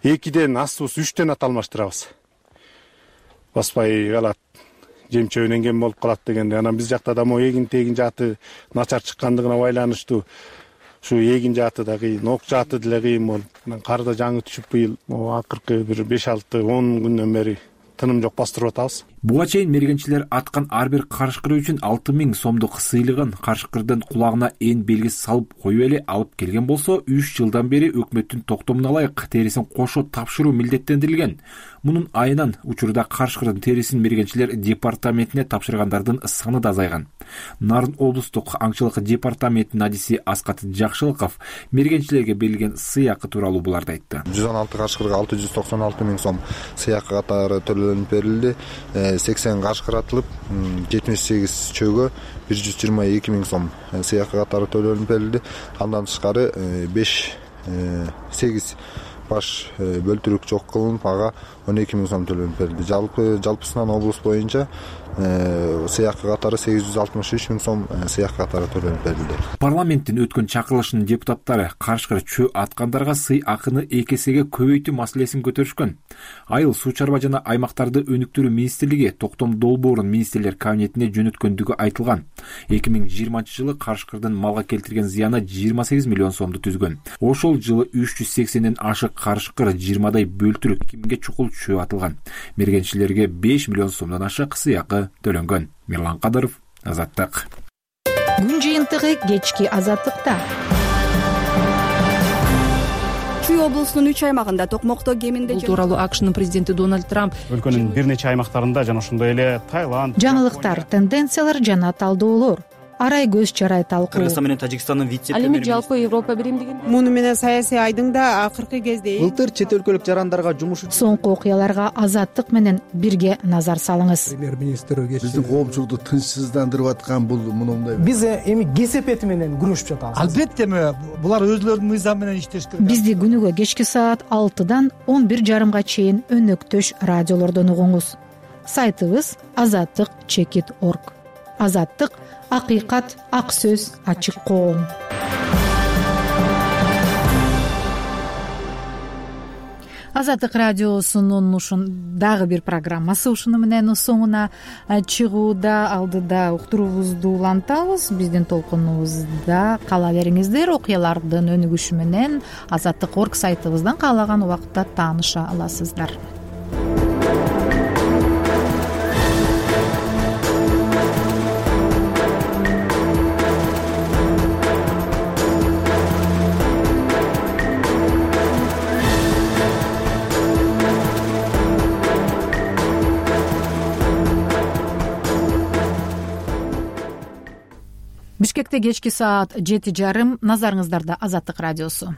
2ден астыбыз 3төн ат алмаштырабыз. Баспай калат, жемчөөнөн кем болуп калат дегенде, анан биз жакта да могу эгин тегин жааты начар чыккандыгына байланыштуу. Ушу эгин жааты да кыйын, ок жааты деле кыйын болуп, кар да жаңы түшүп быйыл акыркы бир 5-6-10 күндөн бери тыным жок бастырып атабыз. Буга чейин мергенчилер аткан ар бир карышкыр үчүн 6000 сомдук сыйлыгын карышкырдын кулагына эн белгиси салып коюп эле алып келген болсо, 3 жылдан бери өкмөттүн токтомуна ылайык терисин кошо тапшыруу милдеттендирилген. Мунун айынан учурда карышкырдын терисин мергенчилер департаментине тапшыргандардын саны да азайган. Нарын облустук аңчылык департаментинин адиси Аскат Жакшылыков мергенчилерге берилген сыйакы тууралуу буларды айтты. 116 карышкырга 696 миң сом сыйакы катары төлөнүп берилди. 80 карышкыр атылып, 78 чөйгө 122 миң сом сыйакы катары төлөнүп берилди. Андан тышкары 8 баш бөлтүрүк жок кылынып, ага 12 миң сом төлөнүп берилди. Жалпысынан облус боюнча сыйакы катары 863 миң сом сыйакы катары төлөнүп берилди. Парламенттин өткөн чакырылышынын депутаттары карышкыр чөө аткандарга сый акыны 2 эсеге көбөйтүү маселесин көтөрүшкөн. Айыл суу чарба жана аймактарды өнүктүрүү министрлиги токтом долбоорун министрлер кабинетине жөнөткөндүгү айтылган. 2020 жылы карышкырдын малга келтирген зыяны 28 миллион сомду түзгөн. Ошол жылы 380ден ашык карышкыр 20дай бөлтүрүк 2000ге чукул чөө атылган. Мергенчилерге 5 миллион сомдон ашык сыйакы төлөнгөн. Мирлан Кадыров, Азаттык. Күн жыйынтыгы кечки Азаттыкта. Чүй облусунун 3 аймагында токмокто кеминде бул тууралуу АКШнын президенти Дональд Трамп өлкөнүн бир нече аймактарында жана ошондой эле Таиланд, жаңылыктар, тенденциялар жана талдоолор, арай көз чарай талкуу. Кыргызстан менен Тажикстандын вице-премьери. Ал эми жалпы Европа биримдигин. Муну менен саясий айдың да акыркы кезде былтыр чет өлкөлүк жарандарга жумуш соңку окуяларга Азаттык менен бирге назар салыңыз. Премьер-министр биздин коомчулукту тынчсыздандырып аткан бул мындай. Биз эми кесепети менен күрөшүп жатабыз. Албетте булар өзлөрүнүн мыйзамы менен иштеш керек. Бизди күнүгө кечки саат 6-дан 11:30 чейин өнөктөш радиолордон угуңуз. Сайтыбыз azattik.org. Азаттык — акыйкат, ак сөз, ачык коом. Азаттык радиосунун дагы бир программасы ушуну менен соңуна чыгууда. Алдыда уктуруубузду улантабыз. Биздин толкунубузда кала бериңиздер. Окуялардын өнүгүшү менен Азаттык.org сайтыбыздан каалаган убакытта тааныша аласыздар. Бишкекте кечки саат 7:30. Назарыңыздарда Азаттык радиосу.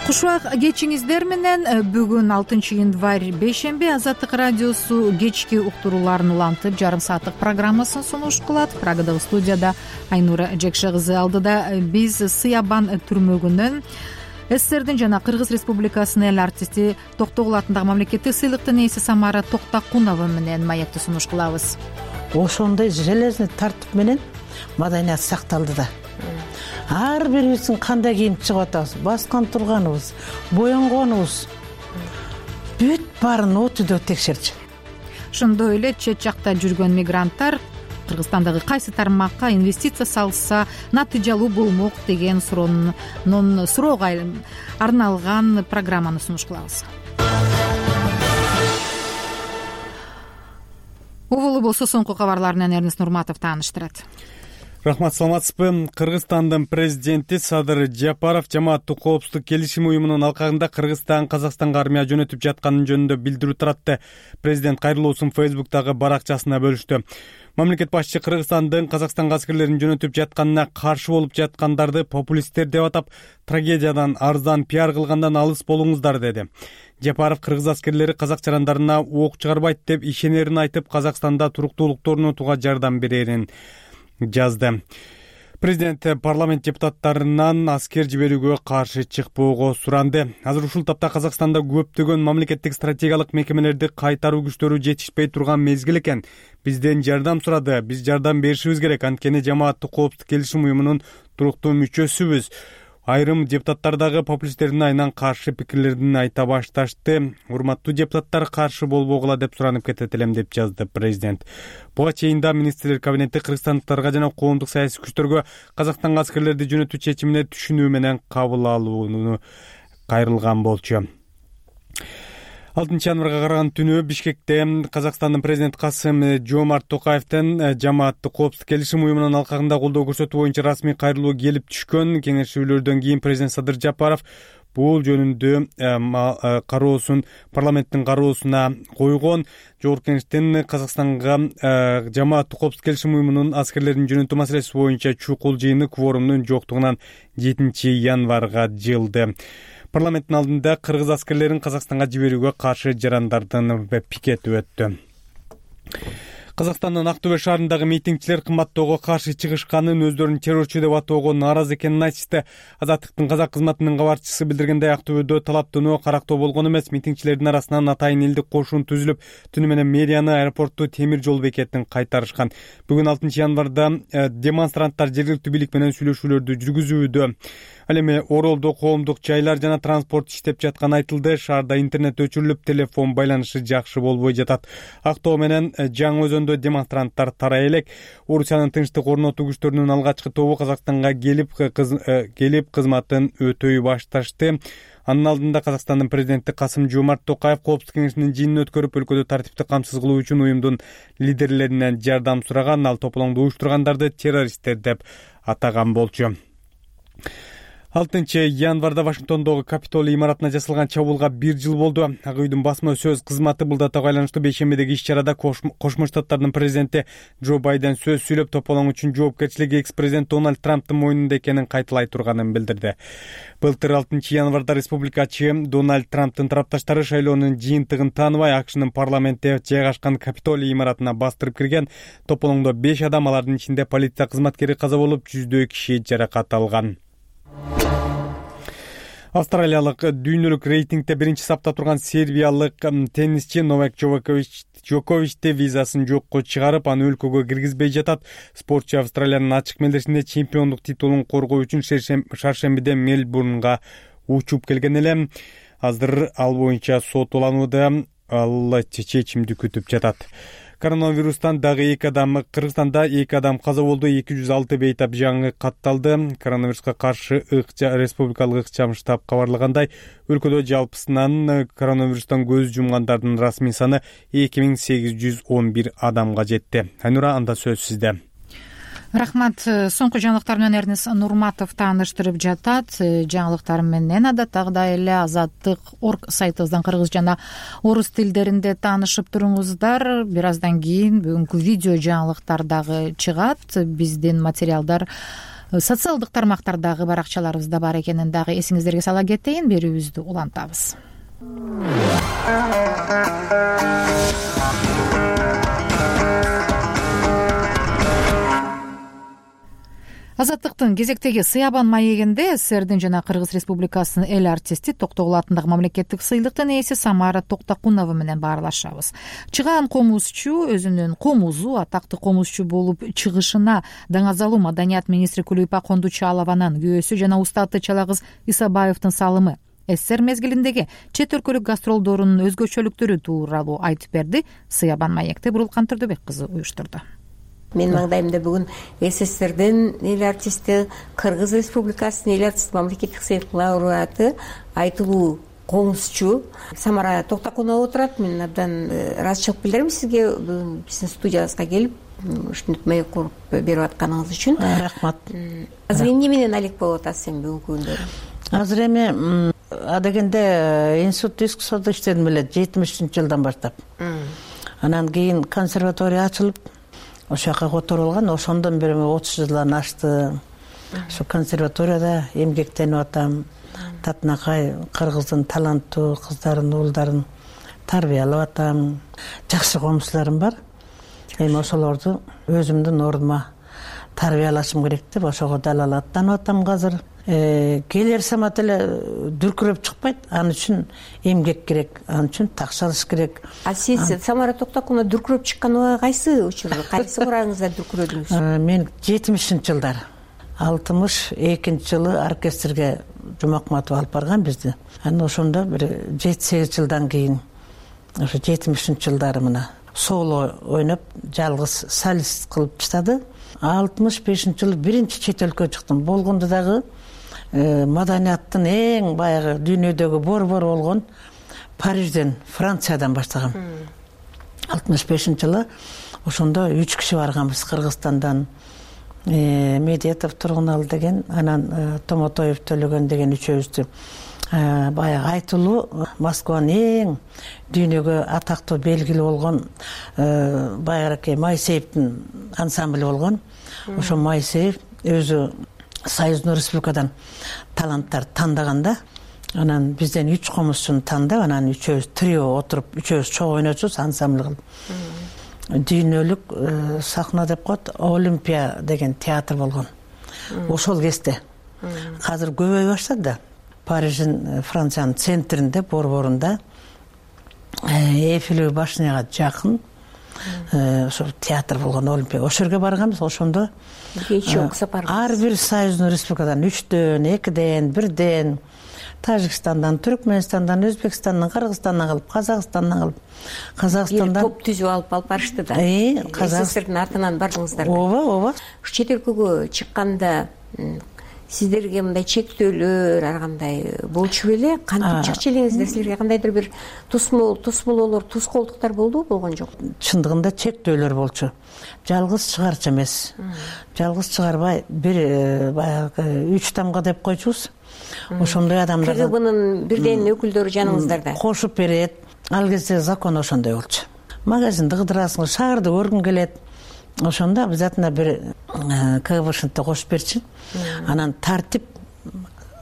Кушбак кечиңиздер менен бүгүн 6 январь бейшемби Азаттык радиосу кечки уктурууларын улантып жарым сааттык программасын сунуш кылат. Прагадагы студияда Айнура Жекше кызы. Алдыда биз Сыябан түрмөгүнөн СССРдин жана Кыргыз Республикасынын эл артисти Токтогул атындагы мамлекеттик сыйлыктын ээси Самара Токтакунова менен маекти сунуш кылабыз. Ошондой железный тартип менен маданият сакталды да. Ар бирибиздин кандай кийинип чыгып атабыз, баскан турганыбыз, боенгонубуз бүт баарын өтүдө текшерчү. Ошондой эле чет жакта жүргөн мигранттар Кыргызстандагы кайсы тармакка инвестиция салса натыйжалуу болмок деген суроого арналган программаны сунуш кылабыз. Угулу болсо соңку кабарлар менен Эрнест Нурматов тааныштырат. Рахмат, саламатсызбы? Кыргызстандын президенти Садыр Жапаров жамааттык коопсуздук келишим уюмунун алкагында Кыргызстан Казакстанга армия жөнөтүп жатканын жөнүндө билдирүү таратты. Президент кайрылуусун Facebook'тагы баракчасына бөлүштү. Мамлекет башчысы Кыргызстандын Казакстанга аскерлерин жөнөтүп жатканына каршы болуп жаткандарды популисттер деп атап, трагедиядан арзан пиар кылгандан алыс болуңуздар деди. Жапаров кыргыз аскерлери казак жарандарына ок чыгарбайт деп ишенерин айтып, Казакстанда туруктуулукту орнотууга жардам берерин жазды. Президент парламент депутаттарынан аскер жиберүүгө каршы чыкпоого суранды. Азыр ушул тапта Казакстанда көптөгөн мамлекеттик стратегиялык мекемелерди кайтаруу күчтөрү жетишпей турган мезгил экен. Бизден жардам сурады. Биз жардам беришибиз керек. Анткени жамааттык коопсуздук келишим уюмунун туруктуу мүчөсүбүз. Айрым депутаттар дагы популисттердин айынан каршы пикирлерин айта башташты. Урматтуу депутаттар, каршы болбогула деп суранып кетет элем деп жазды президент. Буга чейин да министрлер кабинети кыргызстандыктарга жана коомдук саясий күчтөргө Казакстанга аскерлерди жөнөтүү чечимине түшүнүү менен кабыл алууну кайрылган болчу. 6 январга караган түнү Бишкекте Казакстандын президенти Касым-Жомарт Токаевдин жамааттык коопсуздук келишим уюмунун алкагында колдоо көрсөтүү боюнча расмий кайрылуу келип түшкөн. Кеңешүүлөрдөн кийин президент Садыр Жапаров бул жөнүндө кароосун парламенттин кароосуна койгон. Жогорку Кеңештин Казакстанга жамааттык коопсуздук келишим уюмунун аскерлерин жөнөтүү маселеси боюнча чукул жыйыны кворумдун жоктугунан 7 январга жылды. Парламенттин алдында кыргыз аскерлерин Казакстанга жиберүүгө каршы жарандардын пикети өттү. Казакстандын Актөбө шаарындагы митингчилер кымбаттоого каршы чыгышканын, өздөрүн террорчу деп атоого нааразы экенин айтышты. Азаттыктын казак кызматынын кабарчысы билдиргендей, Актөбөдө талаптануу карактоо болгон эмес. Митингчилердин арасынан атайын элдик кошун түзүлүп, түнү менен мэрияны, аэропортту, темир жол бекетин кайтарышкан. Бүгүн 6 январда демонстранттар жергиликтүү бийлик менен сүйлөшүүлөрдү жүргүзүүдө. Ал эми Оролдо коомдук жайлар жана транспорт иштеп жатканы айтылды. Шаарда интернет өчүрүлүп, телефон байланышы жакшы болбой жатат. Актоо менен Жаңы Өзөндө демонстранттар тарай элек. Орусиянын тынчтык орнотуу күчтөрүнүн алгачкы тобу Казакстанга келип кызматын өтөй башташты. Анын алдында Казакстандын президенти Касым-Жомарт Токаев Коопсуздук кеңешинин жыйынын өткөрүп, өлкөдө тартипти камсыз кылуу үчүн уюмдун лидерлеринен жардам сураган. Ал тополоңду уюштургандарды террористтер деп атаган болчу. 6 январда Вашингтондогу Капитолий имаратына жасалган чабуулга 1 жыл болду. Ак үйдүн басма сөз кызматы бул датага байланыштуу бейшембидеги иш-чарада Кошмо Штаттардын президенти Джо Байден сөз сүйлөп, тополоң үчүн жоопкерчилик экс-президент Дональд Трамптын мойнунда экенин кайталай турганын билдирди. Былтыр 6 январда республикачы Дональд Трамптын тарапташтары шайлоонун жыйынтыгын тааныбай, АКШнын парламентте жайгашкан Капитолий имаратына бастырып кирген. Тополоңдо 5 адам, алардын ичинде полиция кызматкери каза болуп, жүздөй киши жаракат алган. Австралиялык дүйнөлүк рейтингде биринчи сапта турган сербиялык теннисчи Новак Джоковичти визасын жокко чыгарып, аны өлкөгө киргизбей жатат. Спортчу Австралиянын ачык мелдешинде чемпиондук титулун коргоо үчүн шаршембиде Мельбурнга учуп келген эле. Азыр ал боюнча соттоланууда, ал чечимди күтүп жатат. Коронавирустан дагы Кыргызстанда 2 адам каза болду, 206 бейтап жаңы катталды. Коронавируска каршы республикалык ыкчам штаб кабарлагандай, өлкөдө жалпысынан коронавирустан көз жумгандардын расмий саны 2811 адамга жетти. Айнура, анда сөз сизде. Рахмат. Соңку жаңылыктар менен Эрнис Нурматов тааныштырып жатат. Жаңылыктар менен адаттагыдай эле Азаттык.орг сайтыбыздан кыргыз жана орус тилдеринде таанышып туруңуздар. Бир аздан кийин бүгүнкү видео жаңылыктар дагы чыгат. Биздин материалдар социалдык тармактардагы баракчаларыбызда бар экенин дагы эсиңиздерге сала кетейин. Берүүбүздү улантабыз. Азаттыктын кезектеги Сыябан маегинде СССРдин жана Кыргыз Республикасынын эл артисти Токтогул атындагы мамлекеттик сыйлыктын ээси Самара Токтокунова менен баарлашабыз. Чыгаан комузчу өзүнүн комузу атактуу комузчу болуп чыгышына Даңазалуу маданият министри Кулуйпа Кондучалованын күйөөсү жана устаты Чалагыз Исабаевдин салымы, СССР мезгилиндеги чет өлкөлүк гастролдорунун өзгөчөлүктөрү тууралуу айтып берди. Сыябан маекти Бурулкан Турдубек кызы уюштурду. Менин маңдайымда бүгүн СССРдин эл артисти, Кыргыз Республикасынын эл артисти, мамлекеттик сыйлыктын лауреаты, айтылуу комузчу Самара Токтокунова отурат. Мен абдан ыраазычылык билдирем сизге биздин студиябызга келип ушинтип маек куруп берип атканыңыз үчүн. Рахмат. Азыр эмне менен алек болуп атасыз эми бүгүнкү күндөрү? Азыр эми адегенде институт искусствода иштедим эле 70-жылдан баштап. Анан кийин консерватория ачылып, ошол жака которулган. Ошондон бери 30 жылдан ашты. Ошо консерваторияда эмгектенип атам. Татынакай Кыргыздын таланттуу кыздарын, уулдарын тарбиялап атам. Жакшы комузчуларым бар. Эми ошолорду өзүмдүн ордума тарбиялашым керек деп ошого дал аттанып атам азыр. Келер самат эле дүркүрөп чыкпайт. Ал үчүн эмгек керек, ал үчүн такшалыш керек. А сиз Самара Токтокунова дүркүрөп чыкканы кайсы учурда, кайсы курагыңызда дүркүрөдүңүз? Мен 70-жылдар 62-жылы оркестрге Жумакматов алып барган бизди. Анан ошондо бир 7-8 жылдан кийин ошо 70-жылдары мына соло ойноп, жалгыз солист кылып таштады. 65-жылы биринчи чет өлкөгө чыктым. Болгондо дагы маданияттын эң баягы дүйнөдөгү борбору болгон Парижден, Франциядан баштагам. 65-жылы ошондо 3 киши барганбыз Кыргызстандан. Медетов Тургунал деген, анан Томотоев Төлөгөн деген үчөөбүздү баягы айтылуу Москванын эң дүйнөгө атактуу белгилүү болгон баягы Майсеевдин ансамбль болгон. Ошо Майсеев өзү Союздун Республикадан таланттар тандаганда, анан бизден 3 комузчуну тандап, анан үчөөбүз трио отуруп, үчөөбүз чогуу ойночубуз ансамбль кылып. Дүйнөлүк сахна деп коет, Олимпия деген театр болгон. Ошол кезде азыр көбөй баштады да. Париждин, Франциянын центринде, борборунда, Эйфелевый башняга жакын ошо театр болгон Олимпия. Ошол жерге барганбыз. Ошондо ар бир Союздун Республикадан 3дөн, 2ден, 1ден, Тажикстандан, Түркменистандан, Өзбекстандан, Кыргызстандан кылып, Казакстандан кылып, Казакстандан топ түзүп алып барышты да. СССРдин артынан бардыңыздар. Ооба. Чет өлкөгө чыкканда сиздерге мындай чектөөлөр ар кандай болчу беле? Кантип чыкчу элеңиздер? Силерге кандайдыр бир тосмололор, тоскоолдуктар болдубу, болгон жок? Чындыгында чектөөлөр болчу. Жалгыз чыгарчу эмес. Жалгыз чыгарбай, бир баягы 3 тамга деп койчубуз. Ошондой адамдар КГБнын бирден өкүлдөрү жаныңыздарда кошуп берет. Ал кезде закон ошондой болчу. Магазинди кыдырасың, шаарды көргүң келет. Ошондо обязательно бир КГБшныкты кошуп берчү. Анан тартип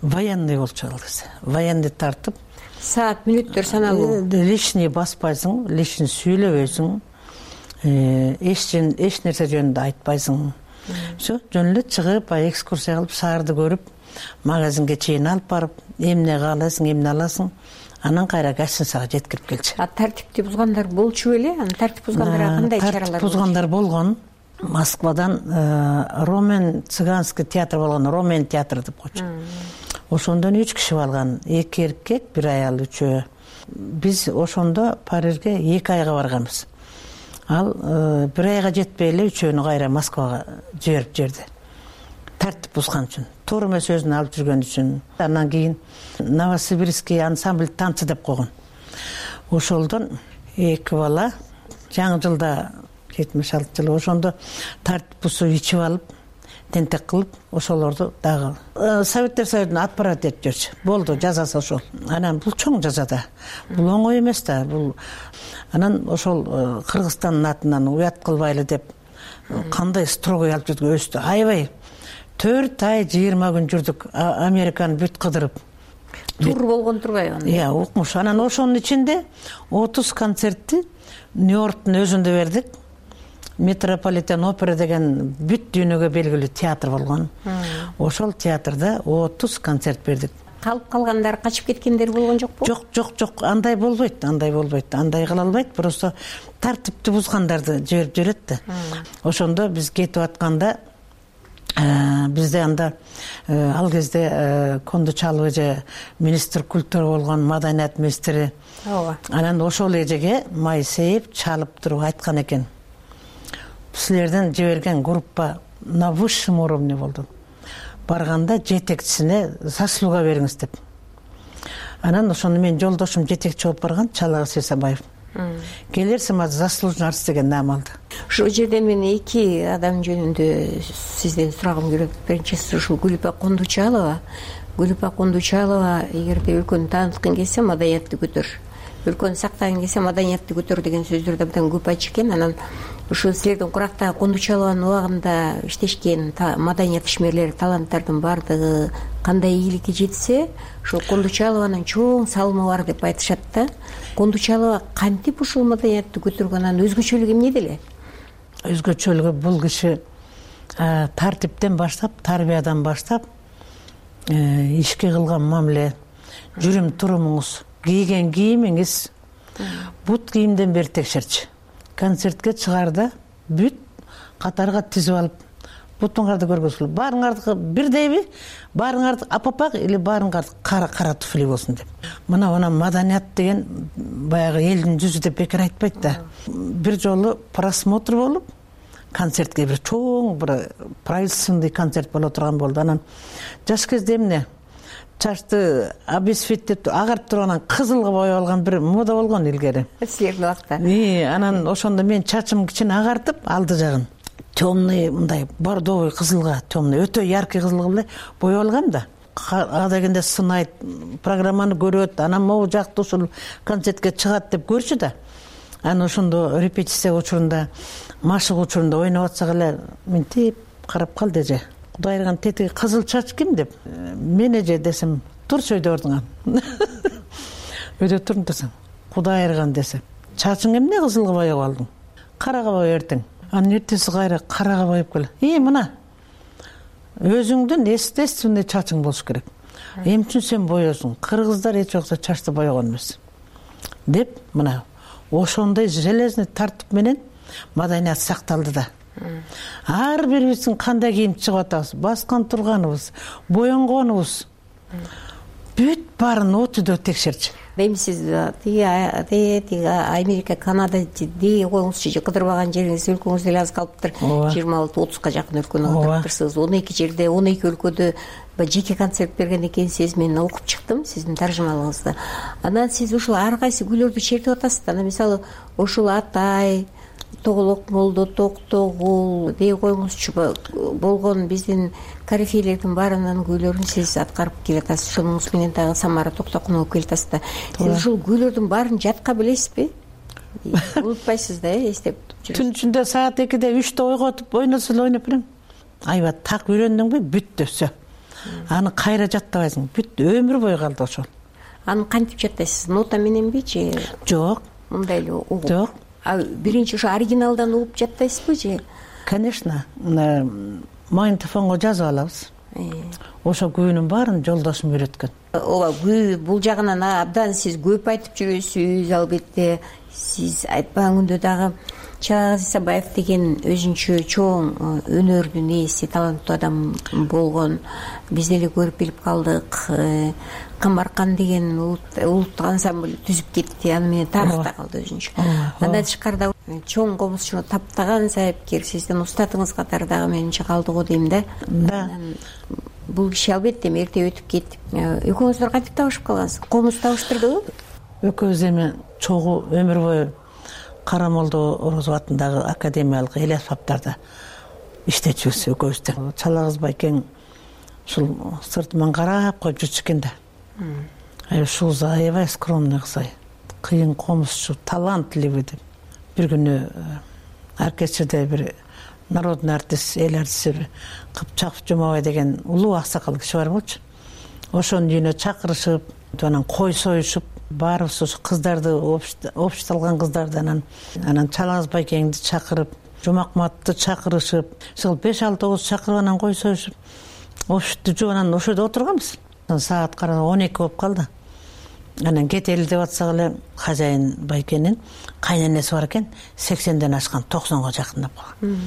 военный болчу ал кезде. Военный тартып. Саат, мүнөттөр саналуу. Лишний баспайсың, лишний сүйлөбөйсүң. Эч нерсе жөнүндө айтпайсың. Всё, жөн эле чыгып, экскурсия кылып, шаарды көрүп, магазинге чейин алып барып, эмне каалайсың, эмне аласың, анан кайра гостиницага жеткирип келчү. Тартипти бузгандар болчу беле? Анан тартип бузгандарга кандай чаралар? Тартип бузгандар болгон. Москвадан Ромен цыганский театр болгон, Ромен театры деп койчу. Ошондон 3 киши алган, 2 эркек, 1 аял, 3. Биз ошондо Парижге 2 айга барганбыз. Ал 1 айга жетпей эле 3-өөнү кайра Москвага жиберип жиберди. Тартип бузган үчүн, туура эмес сөзүн алып жүргөн үчүн. Андан кийин Новосибирский ансамбль танцы деп койгон. Ошолдон 2 бала жаңы жылда 76 ошондо тартип бузуп ичип алып, тентек кылып, ошолорду дагы Советтер Союзуна отправить этип жүрчү. Болду, жазасы ошол. Анан бул чоң жаза да. Бул оңой эмес да. Бул анан ошол Кыргызстандын атынан уят кылбайлы деп кандай строгой алып жүрдүк, өстү. Аябай 4 ай 20 күн жүрдүк, Американы бүт кыдырып. Тур болгон турбайбы? Иә, укмуш. Анан ошонун ичинде 30 концертти Нью-Йорктун өзүндө бердик. Метрополитен опера деген бүт дүйнөгө белгилүү театр болгон. Ошол театрда 30 концерт бердик. Калып калгандар, качып кеткендер болгон жокпу? Жок, андай болбойт. Андай кыла албайт. Просто тартипти бузгандарды жиберип жүрөт да. Ошондо биз кетип атканда бизде анда ал кезде Кондучалов эже министр культура болгон, маданият министри. Анан ошол эжеге Майсеев чалып туруп айткан экен. Силерден жиберген группа на высшем уровне болду. Барганда жетекчисине заслуга бериңиз деп. Анан ошону мен жолдошум жетекчи болуп барган Чалагыз Сисабаев. Келерсиң заслуженный артист деген наам алды. Ушул жерден мен 2 адам жөнүндө сизден сурагым келет. Биринчиси ушул Гүлүпа Кондучалова. Гүлүпа Кондучалова эгерде өлкөнү тааныткың келсе, маданиятты көтөр. Өлкөнү сактагың келсе, маданиятты көтөр деген сөздөрдү абдан көп айтчу экен. Анан ушул силердин курактагы Кондучалованын убагында иштешкен маданият ишмерлери, таланттардын баардыгы кандай ийгиликке жетсе, ушул Кондучалованын чоң салымы бар деп айтышат да. Кондучалова кантип ушул маданиятты көтөргөн, анын өзгөчөлүгү эмнеде эле? Өзгөчөлүгү бул киши тартиптен баштап, тарбиядан баштап, ишке кылган мамиле, жүрүм турумуңуз, кийген кийимиңиз, бут кийимден бери текшерчү. Концертке чыгаарда бүт катарга тизип алып, бутуңарды көргөзүлүп, баарыңарды бирдейби, баарыңарды апапак или баарыңарды кара туфли болсун деп. Мына маданият деген баягы элдин жүзү деп бекер айтпайт да. Бир жолу просмотр болуп, концертке бир чоң бир правительственный концерт боло турган болду. Анан жаш кезде эмне чачты обесцветип агарып турган, кызылга боеп алган бир мода болгон илгери. Силердин убакта. Анан ошондо мен чачым кичине агартып, алды жагын темный, мындай бордовый кызылга, темный, өтө яркий кызылга эле боеп алгам да. Ага дегенде сынайт, программаны көрөт, анан могу жакты ушул концертке чыгат деп көрчү да. Анан ошондо репетиция учурунда, машык учурунда ойноп атсак эле мынтип карап калды эже. Кудай айырган тетиги кызыл чач ким деп. Мен эже десем, турчу өйдө ордуңа. Өйдө турун десем, Кудай айырган десе. Чачың эмне кызылга боеп алдың? Карага боеп эртең. Анан эртеси кайра карага боеп кел. Мына. Өзүңдүн естественный чачың болуш керек. Эмчүн сен боёсуң? Кыргыздар эч жокто чачты боёгон эмес. Деп, мына ошондой железный тартип менен маданият сакталды да. Ар бирибиздин кандай кийим чыгып атабыз, баскан турганыбыз, боенгонубуз бүт баарын отүдө текшерчү. Эми сиз тиги Америка, Канада дей коюңузчу, кыдырбаган жериңиз, өлкөңүз деле аз калыптыр. 26-30га жакын өлкөнү кыдырыптырсыз. 12 жерде, 12 өлкөдө жеке концерт берген экенсиз, мен окуп чыктым сиздин таржымалыңызды. Анан сиз ушул ар кайсы күйлөрдү чертип атасыз да. Мисалы, ушул Атай, Тоголок молдо, Токтогул дей коюңузчу болгон биздин корифейлердин баарынын күйлөрүн сиз аткарып келатасыз. Ошонуңуз менен дагы Самара Токтокунова келатасыз да. Сиз ушул күйлөрдүн баарын жатка билесизби? Унутпайсыз да, эстеп жүрөсүз. Түн ичинде саат 2-де 3-те ойготуп ойносо эле ойноп берем. Аябай так үйрөндүңбү? Бүттү, всё. Аны кайра жаттабайсың. Бүт өмүр бою калды ошол. Аны кантип жаттайсыз? Нота мененби же? Жок. Мындай эле угуп. Жок. Биринчи ошо оригиналдан угуп жаттайсызбы же? Конечно. Магнитофонго жазып алабыз. ошо күүнүн баарын жолдошум үйрөткөн. ооба күү бул жагынан абдан сиз көп айтып жүрөсүз. Албетте сиз айтпаган дагы Чалак Исабаев деген өзүнчө чоң өнөрдүн ээси, таланттуу адам болгон. Биз деле көрүп билип калдык. Камаркан деген улуттук ансамбль түзүп кетти, аны менен тарыхта калды өзүнчө. Андан тышкары чоң комузчуну таптаган сайыпкер, сиздин устатыңыз катары дагы менимче калды го дейм да. Бул киши албетте эрте өтүп кетип, экөөңүздөр кантип табышып калгансыз? Комуз табыштырдыбы? Экөөбүз эми чогуу өмүр бою Карамолдо Орозов атындагы академиялык эл аспаптарда иштечүбүз экөөбүз да. Чалак байкең ушул сыртыман карап коюп жүрчү экен да. Ушул аябай скромный кыз, кыйын комузчу, талантлуу деп. Бир күнү оркестрде бир народный артист, эл артисти Кыпчаков Жумабай деген улуу аксакал киши бар болчу. Ошонун үйүнө чакырышып, анан кой союшуп, баарыбыз ошо кыздарды, обществолгон кыздарды анан Чалак байкеңди чакырып, Жумакматты чакырышып, ошол 5-6 чакырып анан кой союшуп, обществду жууп анан ошодо отурганбыз. Саат караа 12 болуп калды. Анан кетели деп атсак эле хозяин байкенин кайненеси бар экен, 80ден ашкан, 90га жакындап калган.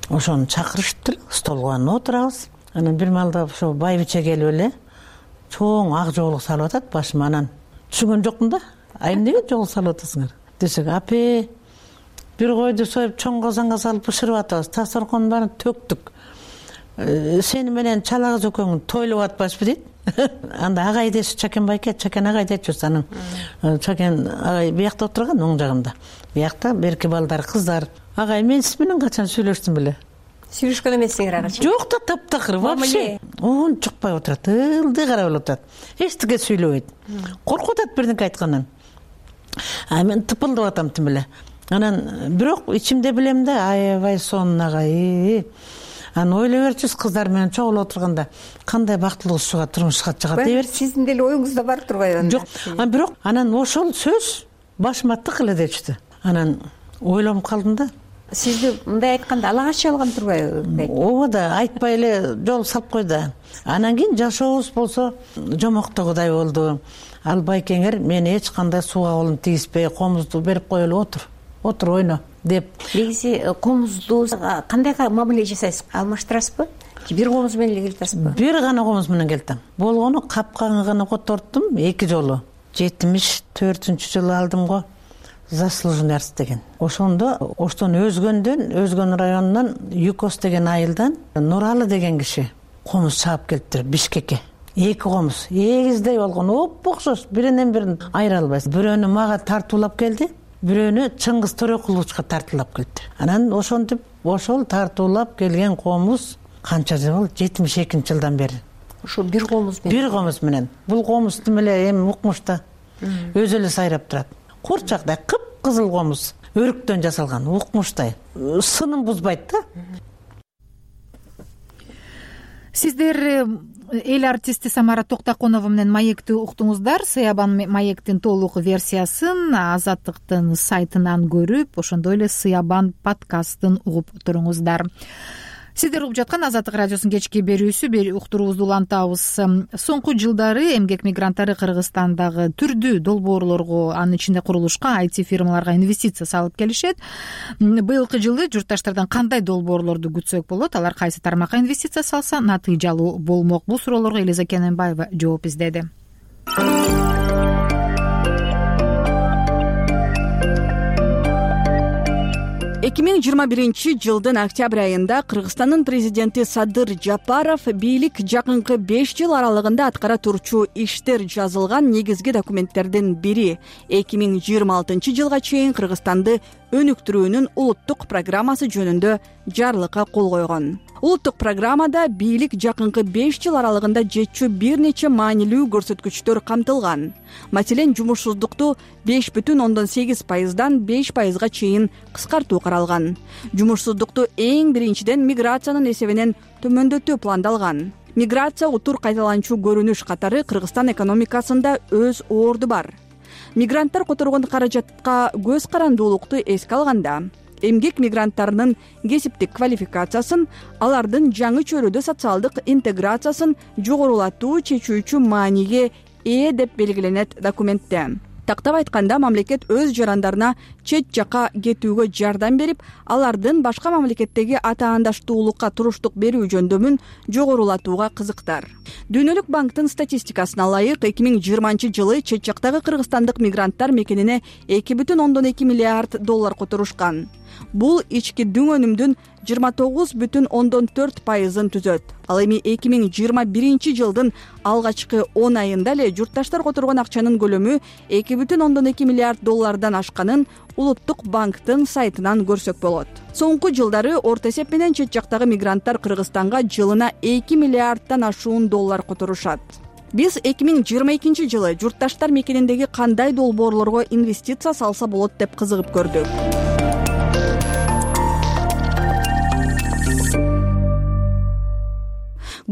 Ошону чакырышыптыр, столго отурабыз. Анан бир маалда ошо байбиче келип эле чоң ак жоолук салып атат башыма. Анан түшүнгөн жокмун да. Эмнеге жоолук салып атасыңар десек, апе бир койду союп чоң казанга салып бышырып атабыз, дасторконун баарын төктүк. Сени менен Чалак экөөң тойлоп атпашпы дейт. Анда агай деши Чакен байке, Чакен агай дечүбүз. Анан Чакен агай биякта отурган, оң жагымда. Биякта берки балдар, кыздар. Агай, мен сиз менен качан сүйлөштүм беле? Сүйлөшкөн эмессиңер агачы? Жок да, таптакыр вообще. Он чукпай отурат, ылдый карап эле отурат. Эчтеке сүйлөбөйт. Коркуп атат бирдеке айткандан. Мен тыпылдап атам тим эле. Анан бирок ичимде билем да, аябай сонун агай. Анан ойлой берчүбүз, кыздар менен чогулуп отурганда кандай бактылуу кызга турмушка чыгат дей берчү. Сиздин деле оюңузда бар турбайбы? Жок. Бирок анан ошол сөз башыма тык эле дечти. Анан ойлонуп калдым да. Сизди мындай айтканда ала качы алган турбайбы? Ооба да, айтпай эле жол салып койду. Анан кийин жашообуз болсо жомоктогудай болду. Ал байкеңер мени эч кандай сууга колун тийиспей, комузду берип коелу, отур ойно деп. Негизи комузду кандай мамиле жасайсыз? Алмаштырасызбы? Бир комуз менен эле келатасызбы? Бир гана комуз менен келтим. Болгону капканы гана которттум 2 жолу. 74-жылы алдым го. Заслуженный артист деген. Ошондо оштон өзгөн районунан Юкос деген айылдан Нуралы деген киши комуз чаап келиптир Бишкекке. 2 комуз эгиздей болгон, оп-окшош, биринен бирин айыра албайсыз. Бирөөнү мага тартуулап келди, бирөөнү Чыңгыз Төрөкуловичка тартуулап келди. Анан ошентип ошол тартуулап келген комуз канча жыл болду? 72-жылдан бери. Ошо бир комуз менен. Бир комуз менен. Бул комуз тим эле эми укмушта өзү эле сайрап турат. Курчактай кып-кызыл комуз, өрүктөн жасалган, укмуштай. Сынын бузбайт да. Сиздер эл артисти Самара Токтоконова менен маекти уктуңуздар. Сыябан маектин толук версиясын Азаттыктын сайтынан көрүп, ошондой эле Сыябан подкастын угуп туруңуздар. Сиздер угуп жаткан Азаттык радиосунун кечки берүүсү, уктуруубузду улантабыз. Соңку жылдары эмгек мигранттары Кыргызстандагы түрдүү долбоорлорго, анын ичинде курулушка, IT фирмаларга инвестиция салып келишет. Быйылкы жылы журтташтардан кандай долбоорлорду күтсөк болот? Алар кайсы тармакка инвестиция салса натыйжалуу болмок? Бул суроолорго Элиза Кененбаева жооп издеди. 2021-жылдын октябрь айында Кыргызстандын президенти Садыр Жапаров бийлик жакынкы 5 жыл аралыгында аткара турчу иштер жазылган негизги документтердин бири 2026-жылга чейин Кыргызстанды өнүктүрүүнүн улуттук программасы жөнүндө жарлыкка кол койгон. Улуттук программада бийлик жакынкы 5 жыл аралыгында жетчү бир нече маанилүү көрсөткүчтөр камтылган. Маселен, жумушсуздукту 5,8%дан 5%га чейин кыскартуу каралган. Жумушсуздукту эң биринчиден миграциянын эсебинен төмөндөтүү пландалган. Миграция утур кайталанчу көрүнүш катары Кыргызстан экономикасында өз орду бар. Мигранттар которгон каражатка көз карандуулукту эске алганда, эмгек мигранттарынын кесиптик квалификациясын, алардын жаңы чөйрөдө социалдык интеграциясын жогорулатуу чечүүчү мааниге ээ деп белгиленет документте. Тактап айтканда, мамлекет өз жарандарына чет жакка кетүүгө жардам берип, алардын башка мамлекеттеги атаандаштуулукка туруштук берүү жөндөмүн жогорулатууга кызыктар. Дүйнөлүк банктын статистикасына ылайык 2020-жылы чет жактагы кыргызстандык мигранттар мекенине 2,2 миллиард доллар которушкан. Бул ички дүң өнүмдүн 29,4%-ын түзөт. Ал эми 2021-жылдын алгачкы 10 айында эле журтташтар которгон акчанын көлөмү 2,2 миллиард доллардан ашканын Улуттук банктын сайтынан көрсөк болот. Соңку жылдары орто эсеп менен чет жактагы мигранттар Кыргызстанга жылына 2 миллиарддан ашуун доллар которушат. Биз 2022-жылы журтташтар мекениндеги кандай долбоорлорго инвестиция салса болот деп кызыгып көрдүк.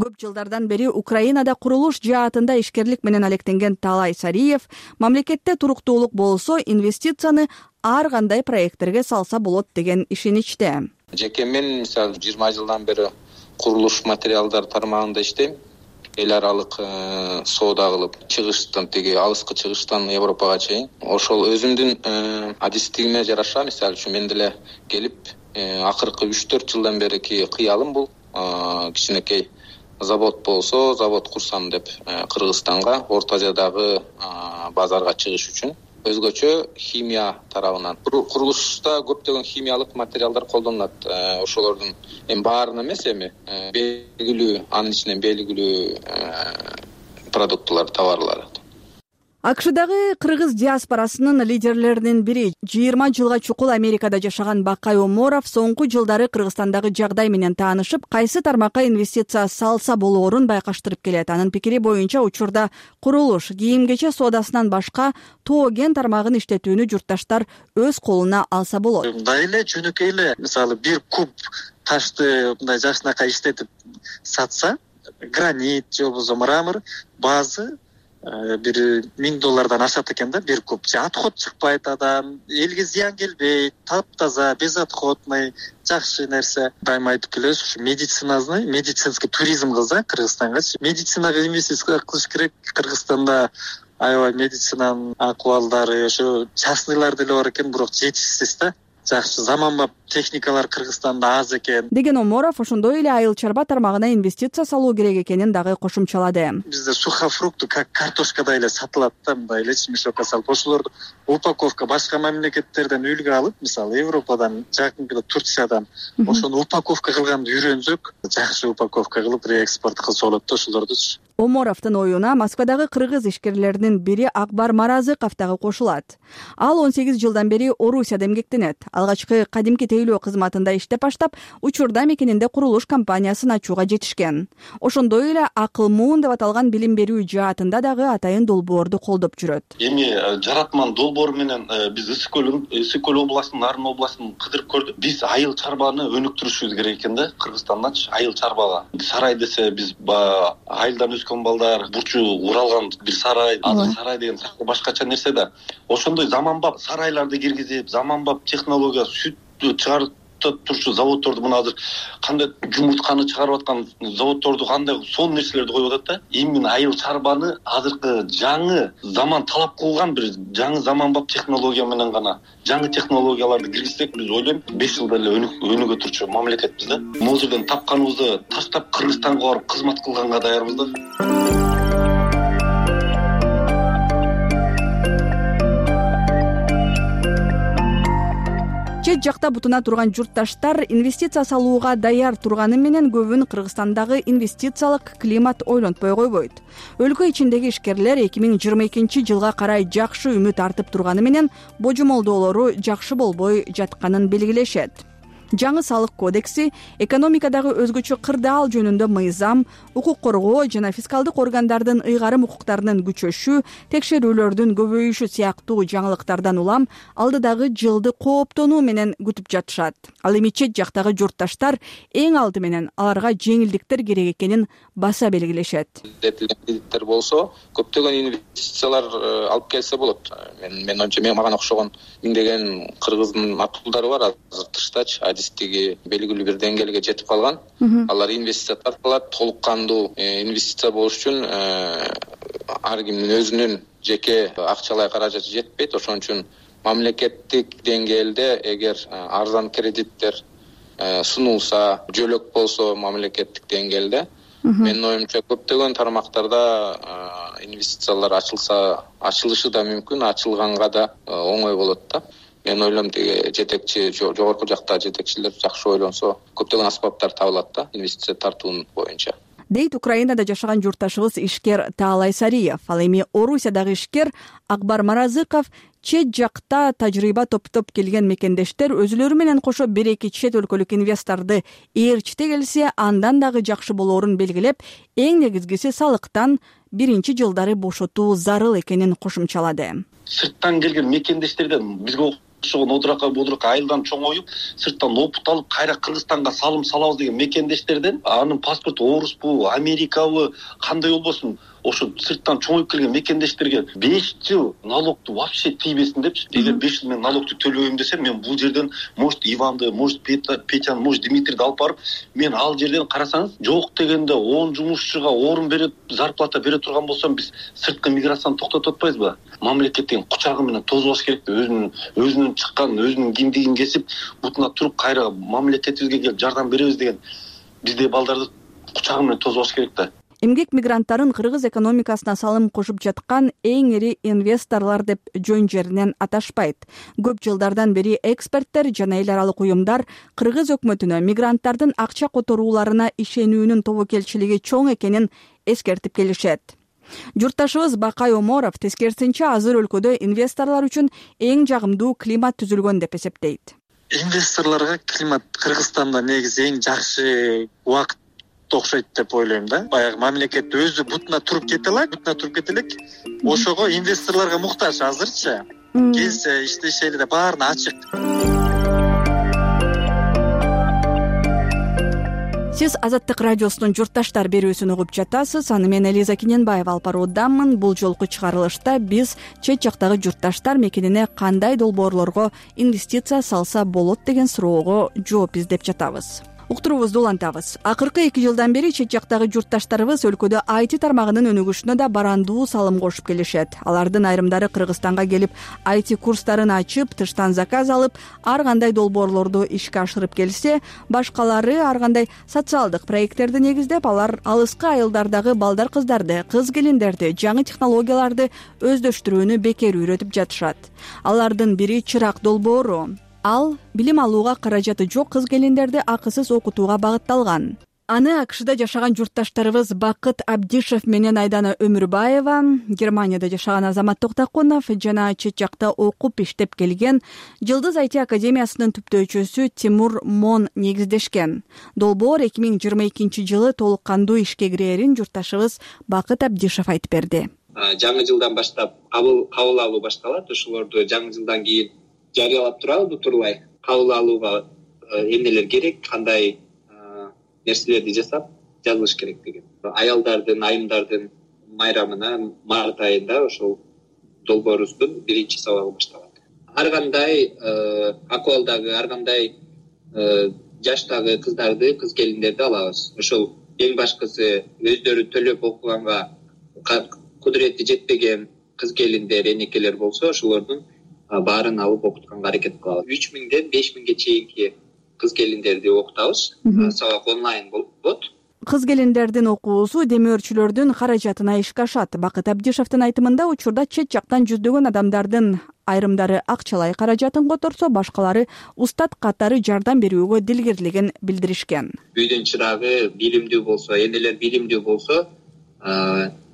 Көп жылдардан бери Украинада курулуш жаатында ишкерлик менен алектенген Талай Сариев мамлекетте туруктуулук болсо инвестицияны ар кандай проекттерге салса болот деген ишеничте. Жеке мен мисалы 20 жылдан бери курулуш материалдар тармагында иштейм. Эл аралык соода кылып, чыгыштан теги алыскы чыгыштан Европага чейин. Ошол өзүмдүн адистигиме жараша, мисалы үчүн мен деле келип, акыркы 3-4 жылдан берки кыялым бул кичинекей завод болсо, завод курсам деп Кыргызстанга, Орто Азиядагы базарга чыгыш үчүн. Өзгөчө химия тарабынан. Курулушта көптөгөн химиялык материалдар колдонулат. Ошолордун баарын эмес эми белгилүү, анын ичинен белгилүү продуктулар, товарлар. АКШдагы кыргыз диаспорасынын лидерлеринин бири 20 жылга чукул Америкада жашаган Бакай Оморов соңку жылдары Кыргызстандагы жагдай менен таанышып, кайсы тармакка инвестиция салса болоорун байкаштырып келет. Анын пикири боюнча учурда курулуш, кийим-кече соодасынан башка тоо-кен тармагын иштетүүнү журтташтар өз колуна алса болот. Мындай эле жөнөкөй эле, мисалы 1 куб ташты мындай жакшынакай иштетип сатса, гранит же болбосо мрамор базы бир $1000 ашат экен да, 1 куб. Отход чыкпайт адам, элге зыян келбейт, таптаза, без отходный, жакшы нерсе. Дайыма айтып келебиз, ушу медицинский туризм кылса Кыргызстанга, медицинага инвестиция кылыш керек. Кыргызстанда аябай медицинанын акыбалдары, ошо частныйлар деле бар экен, бирок жетишсиз да. Жакшы заманбап техникалар Кыргызстанда аз экен деген Оморов ошондой эле айыл чарба тармагына инвестиция салуу керек экенин дагы кошумчалады. Бизде сухофрукты как картошкадай эле сатылат да, мындай эле мешокко салып, ошолорду упаковка башка мамлекеттерден үлгү алып, мисалы Европадан, жакынкыда Турциядан ошону упаковка кылганды үйрөнсөк, жакшы упаковка кылып реэкспорт кылса болот да ошолорду. Оморовдун оюна Москвадагы кыргыз ишкерлеринин бири Акбар Маразыков дагы кошулат. Ал 18 жылдан бери Орусияда эмгектенет. Алгачкы кадимки тейлөө кызматында иштеп баштап, учурда мекенинде курулуш компаниясын ачууга жетишкен. Ошондой эле Акыл Муун деп аталган билим берүү жаатында дагы атайын долбоорду колдоп жүрөт. Эми жаратман долбоор менен биз Ысык Көл областынын, Нарын областынын кыдырып көрдүк. Биз айыл чарбаны өнүктүрүшүбүз керек экен да, Кыргызстандачы айыл чарбага. Сарай десе биз айылдан өскөн балдар, бурчу уралган бир сарай, сарай деген башкача нерсе да. Ошондой заманбап сарайларды киргизип, заманбап технология сүт чыгарып турчу заводдорду, мына азыр кандай жумуртканы чыгарып аткан заводдорду, кандай сонун нерселерди коюп атат да. Именно айыл чарбаны азыркы жаңы заман талап кылган бир жаңы заманбап технология менен гана, жаңы технологияларды киргизсек, биз ойлойм 5 жылда эле өнүгө турчу мамлекетпиз да. Могул жерден тапканыбызды таштап Кыргызстанга барып кызмат кылганга даярбыз да. Чет жакта бутуна турган журтташтар инвестиция салууга даяр турганы менен көбүн Кыргызстандагы инвестициялык климат ойлонтпой койбойт. Өлкө ичиндеги ишкерлер 2022 жылга карай жакшы үмүт артып турганы менен божомолдоолору жакшы болбой жатканын белгилешет. жаңы салык кодекси, экономикадагы өзгөчө кырдаал жөнүндө мыйзам, укук коргоо жана фискалдык органдардын ыйгарым укуктарынын күчөшү, текшерүүлөрдүн көбөйүшү сыяктуу жаңылыктардан улам алдыдагы жылды кооптонуу менен күтүп жатышат. Ал эми чет жактагы журтташтар эң алды менен аларга жеңилдиктер керек экенин баса белгилешет. Кредиттер болсо көптөгөн инвестициялар алып келсе болот. Мен ойымча мага окшогон миңдеген кыргыздын матулдары бар азыр тыштачы, адистиги белгилүү бир деңгээлге жетип калган. Алар инвестиция тартылат, толук кандуу инвестиция болуш үчүн ар кимдин өзүнүн жеке акчалай каражаты жетпейт. Ошон үчүн мамлекеттик деңгээлде эгер арзан кредиттер сунулса, жөлөк болсо мамлекеттик деңгээлде, менин оюмча көптөгөн тармактарда инвестициялар ачылышы да мүмкүн, ачылганга да оңой болот да. Мен ойлойм тиги жетекчи, жогорку жакта жетекчилер жакшы ойлонсо, көптөгөн аспаптар табылат да инвестиция тартуунун боюнча. Дейт Украинада жашаган журтташыбыз ишкер Таалай Сариев. Ал эми Орусиядагы ишкер Акбар Маразыков чет жакта тажрыйба топтоп келген мекендештер өзүлөрү менен кошо бир-эки чет өлкөлүк инвесторду ээрчите келсе, андан дагы жакшы болоорун белгилеп, эң негизгиси салыктан биринчи жылдары бошотуу зарыл экенин кошумчалады. Сырттан келген мекендештерден бизге окшогон одуракка айылдан чоңоюп, сырттан опут алып, кайра Кыргызстанга салым салабыз деген мекендештерден анын паспорту Оруспу, Америкабы, кандай болбосун, ошо сырттан чоңоюп келген мекендештерге 5 жыл налогду вообще тийбесин депчи. Эгер 5 жыл мен налогду төлөбөйм десем, мен бул жерден может Иванды, может Петяны, может Дмитрийди алып барып, мен ал жерден карасаңыз, жок дегенде 10 жумушчуга орун берип, зарплата бере турган болсом, биз сырткы миграцияны токтотуп атпайбызбы? Мамлекеттин кучагы менен тозбаш керек, өзүнүн чыккан, өзүнүн киндигин кесип, бутуна туруп кайра мамлекетибизге келип жардам беребиз деген бизде балдарды кучагы менен тозбаш керек да. Эмгек мигранттарын кыргыз экономикасына салым кошуп жаткан эң ири инвесторлор деп жөн жеринен аташпайт. Көп жылдардан бери эксперттер жана эл аралык уюмдар кыргыз өкмөтүнө мигранттардын акча которууларына ишенүүнүн тобокелчилиги чоң экенин эскертип келишет. Журтташыбыз Бакай Оморов тескерисинче азыр өлкөдө инвесторлор үчүн эң жагымдуу климат түзүлгөн деп эсептейт. Инвесторлорго климат Кыргызстанда негизи эң жакшы убакыт окшойт деп ойлойм да. Баягы мамлекет өзү бутуна туруп кете элек. Ошого инвесторлорго муктаж азырчы. Келсе иштешели деп баарына ачык. Сиз Азаттык радиосунун журтташтар берүүсүн угуп жатасыз. Аны мен Элиза Кененбаева алып баруудамын. Бул жолку чыгарылышта биз чет жактагы журтташтар мекенине кандай долбоорлорго инвестиция салса болот деген суроого жооп издеп жатабыз. Уктуруубузду улантабыз. Акыркы 2 жылдан бери чет жактагы журтташтарыбыз өлкөдө IT тармагынын өнүгүшүнө да барандуу салым кошуп келишет. Алардын айрымдары Кыргызстанга келип, IT курстарын ачып, тыштан заказ алып, ар кандай долбоорлорду ишке ашырып келсе, башкалары ар кандай социалдык проекттерди негиздеп, алар алыскы айылдардагы балдар-кыздарды, кыз-келиндерди, жаңы технологияларды өздөштүрүүнү бекер үйрөтүп жатышат. Алардын бири чырак долбоору. Ал билим алууга каражаты жок кыз-келиндерди акысыз окутууга багытталган. Аны АКШда жашаган журтташтарыбыз Бакыт Абдишев менен Айдана Өмүрбаева, Германияда жашаган Азамат Токтакунов жана чет жакта окуп иштеп келген Жылдыз IT академиясынын түптөөчүсү Тимур Мон негиздешкен. Долбоор 2022 жылы толук кандуу ишке кирээрин журтташыбыз Бакыт Абдишев айтып берди. Жаңы жылдан баштап кабыл алуу башталат. Ошолорду жаңы жылдан кийин жарыялап турабы турлай кабыл алууга эмнелер керек, кандай нерселерди жасап жазылыш керек деген. Аялдардын, айымдардын майрамына март айында ошол долбоорубуздун биринчи сабагы башталат. Ар кандай акыбалдагы, ар кандай жаштагы кыздарды, кыз-келиндерди алабыз. Ошол эң башкысы өздөрү төлөп окуганга кудурети жетпеген кыз-келиндер, энекелер болсо, ошолордун баарын алып окутканга аракет кылабыз. 3000ден 5000ге чейинки кыз-келиндерди окутабыз. Сабак онлайн болот. Кыз-келиндердин окуусу демөөрчүлөрдүн каражатына ишке ашат. Бакыт Абдишевдин айтымында учурда чет жактан жүздөгөн адамдардын айрымдары акчалай каражатын которсо, башкалары устат катары жардам берүүгө дилгирлигин билдиришкен. Үйдүн чырагы билимдүү болсо, энелер билимдүү болсо,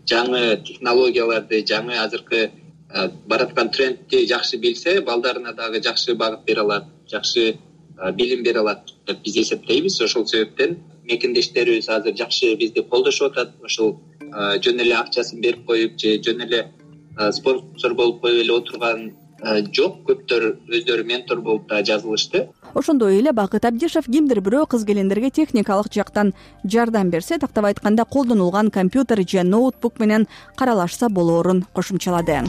жаңы технологияларды, жаңы азыркы бараткан трендти жакшы билсе, балдарына дагы жакшы багыт бере алат, жакшы билим бере алат деп биз эсептейбиз. Ошол себептен мекендештерибиз азыр жакшы бизди колдошуп атат. Ошол жөн эле акчасын берип коюп же жөн эле спонсор болуп коюп эле отурган жок. Көптөр өздөрү ментор болуп да жазылышты. Ошондой эле Бакыт Абдишев кимдир бирөө кыз-келиндерге техникалык жактан жардам берсе, тактап айтканда колдонулган компьютер же ноутбук менен каралашса болоорун кошумчалады.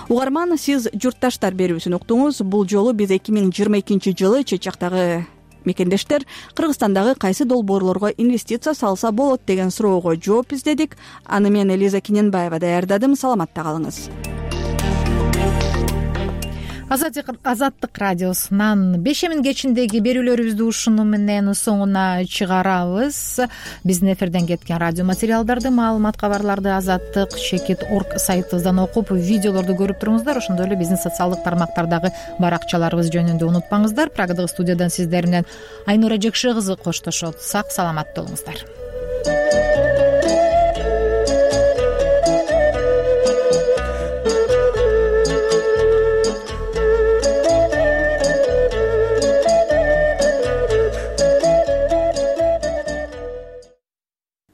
Угарман, сиз журтташтар берүүсүн уктуңуз. Бул жолу биз 2022-жылы чет жактагы мекендештер Кыргызстандагы кайсы долбоорлорго инвестиция салса болот деген суроого жооп издедик. Аны мен Элиза Киненбаева даярдадым. Саламатта калыңыз. Азаттык радиосунан бешемин кечиндеги берүүлөрүбүздү ушуну менен соңуна чыгарабыз. Биздин эфирден кеткен радио материалдарды, маалымат, кабарларды azattik.org сайтыбыздан окуп, видеолорду көрүп туруңуздар. Ошондой эле биздин социалдык тармактардагы баракчаларыбыз жөнүндө унутпаңыздар. Прагдагы студиядан сиздер менен Айнура Жекше кызы коштошот. Сак саламат болуңуздар.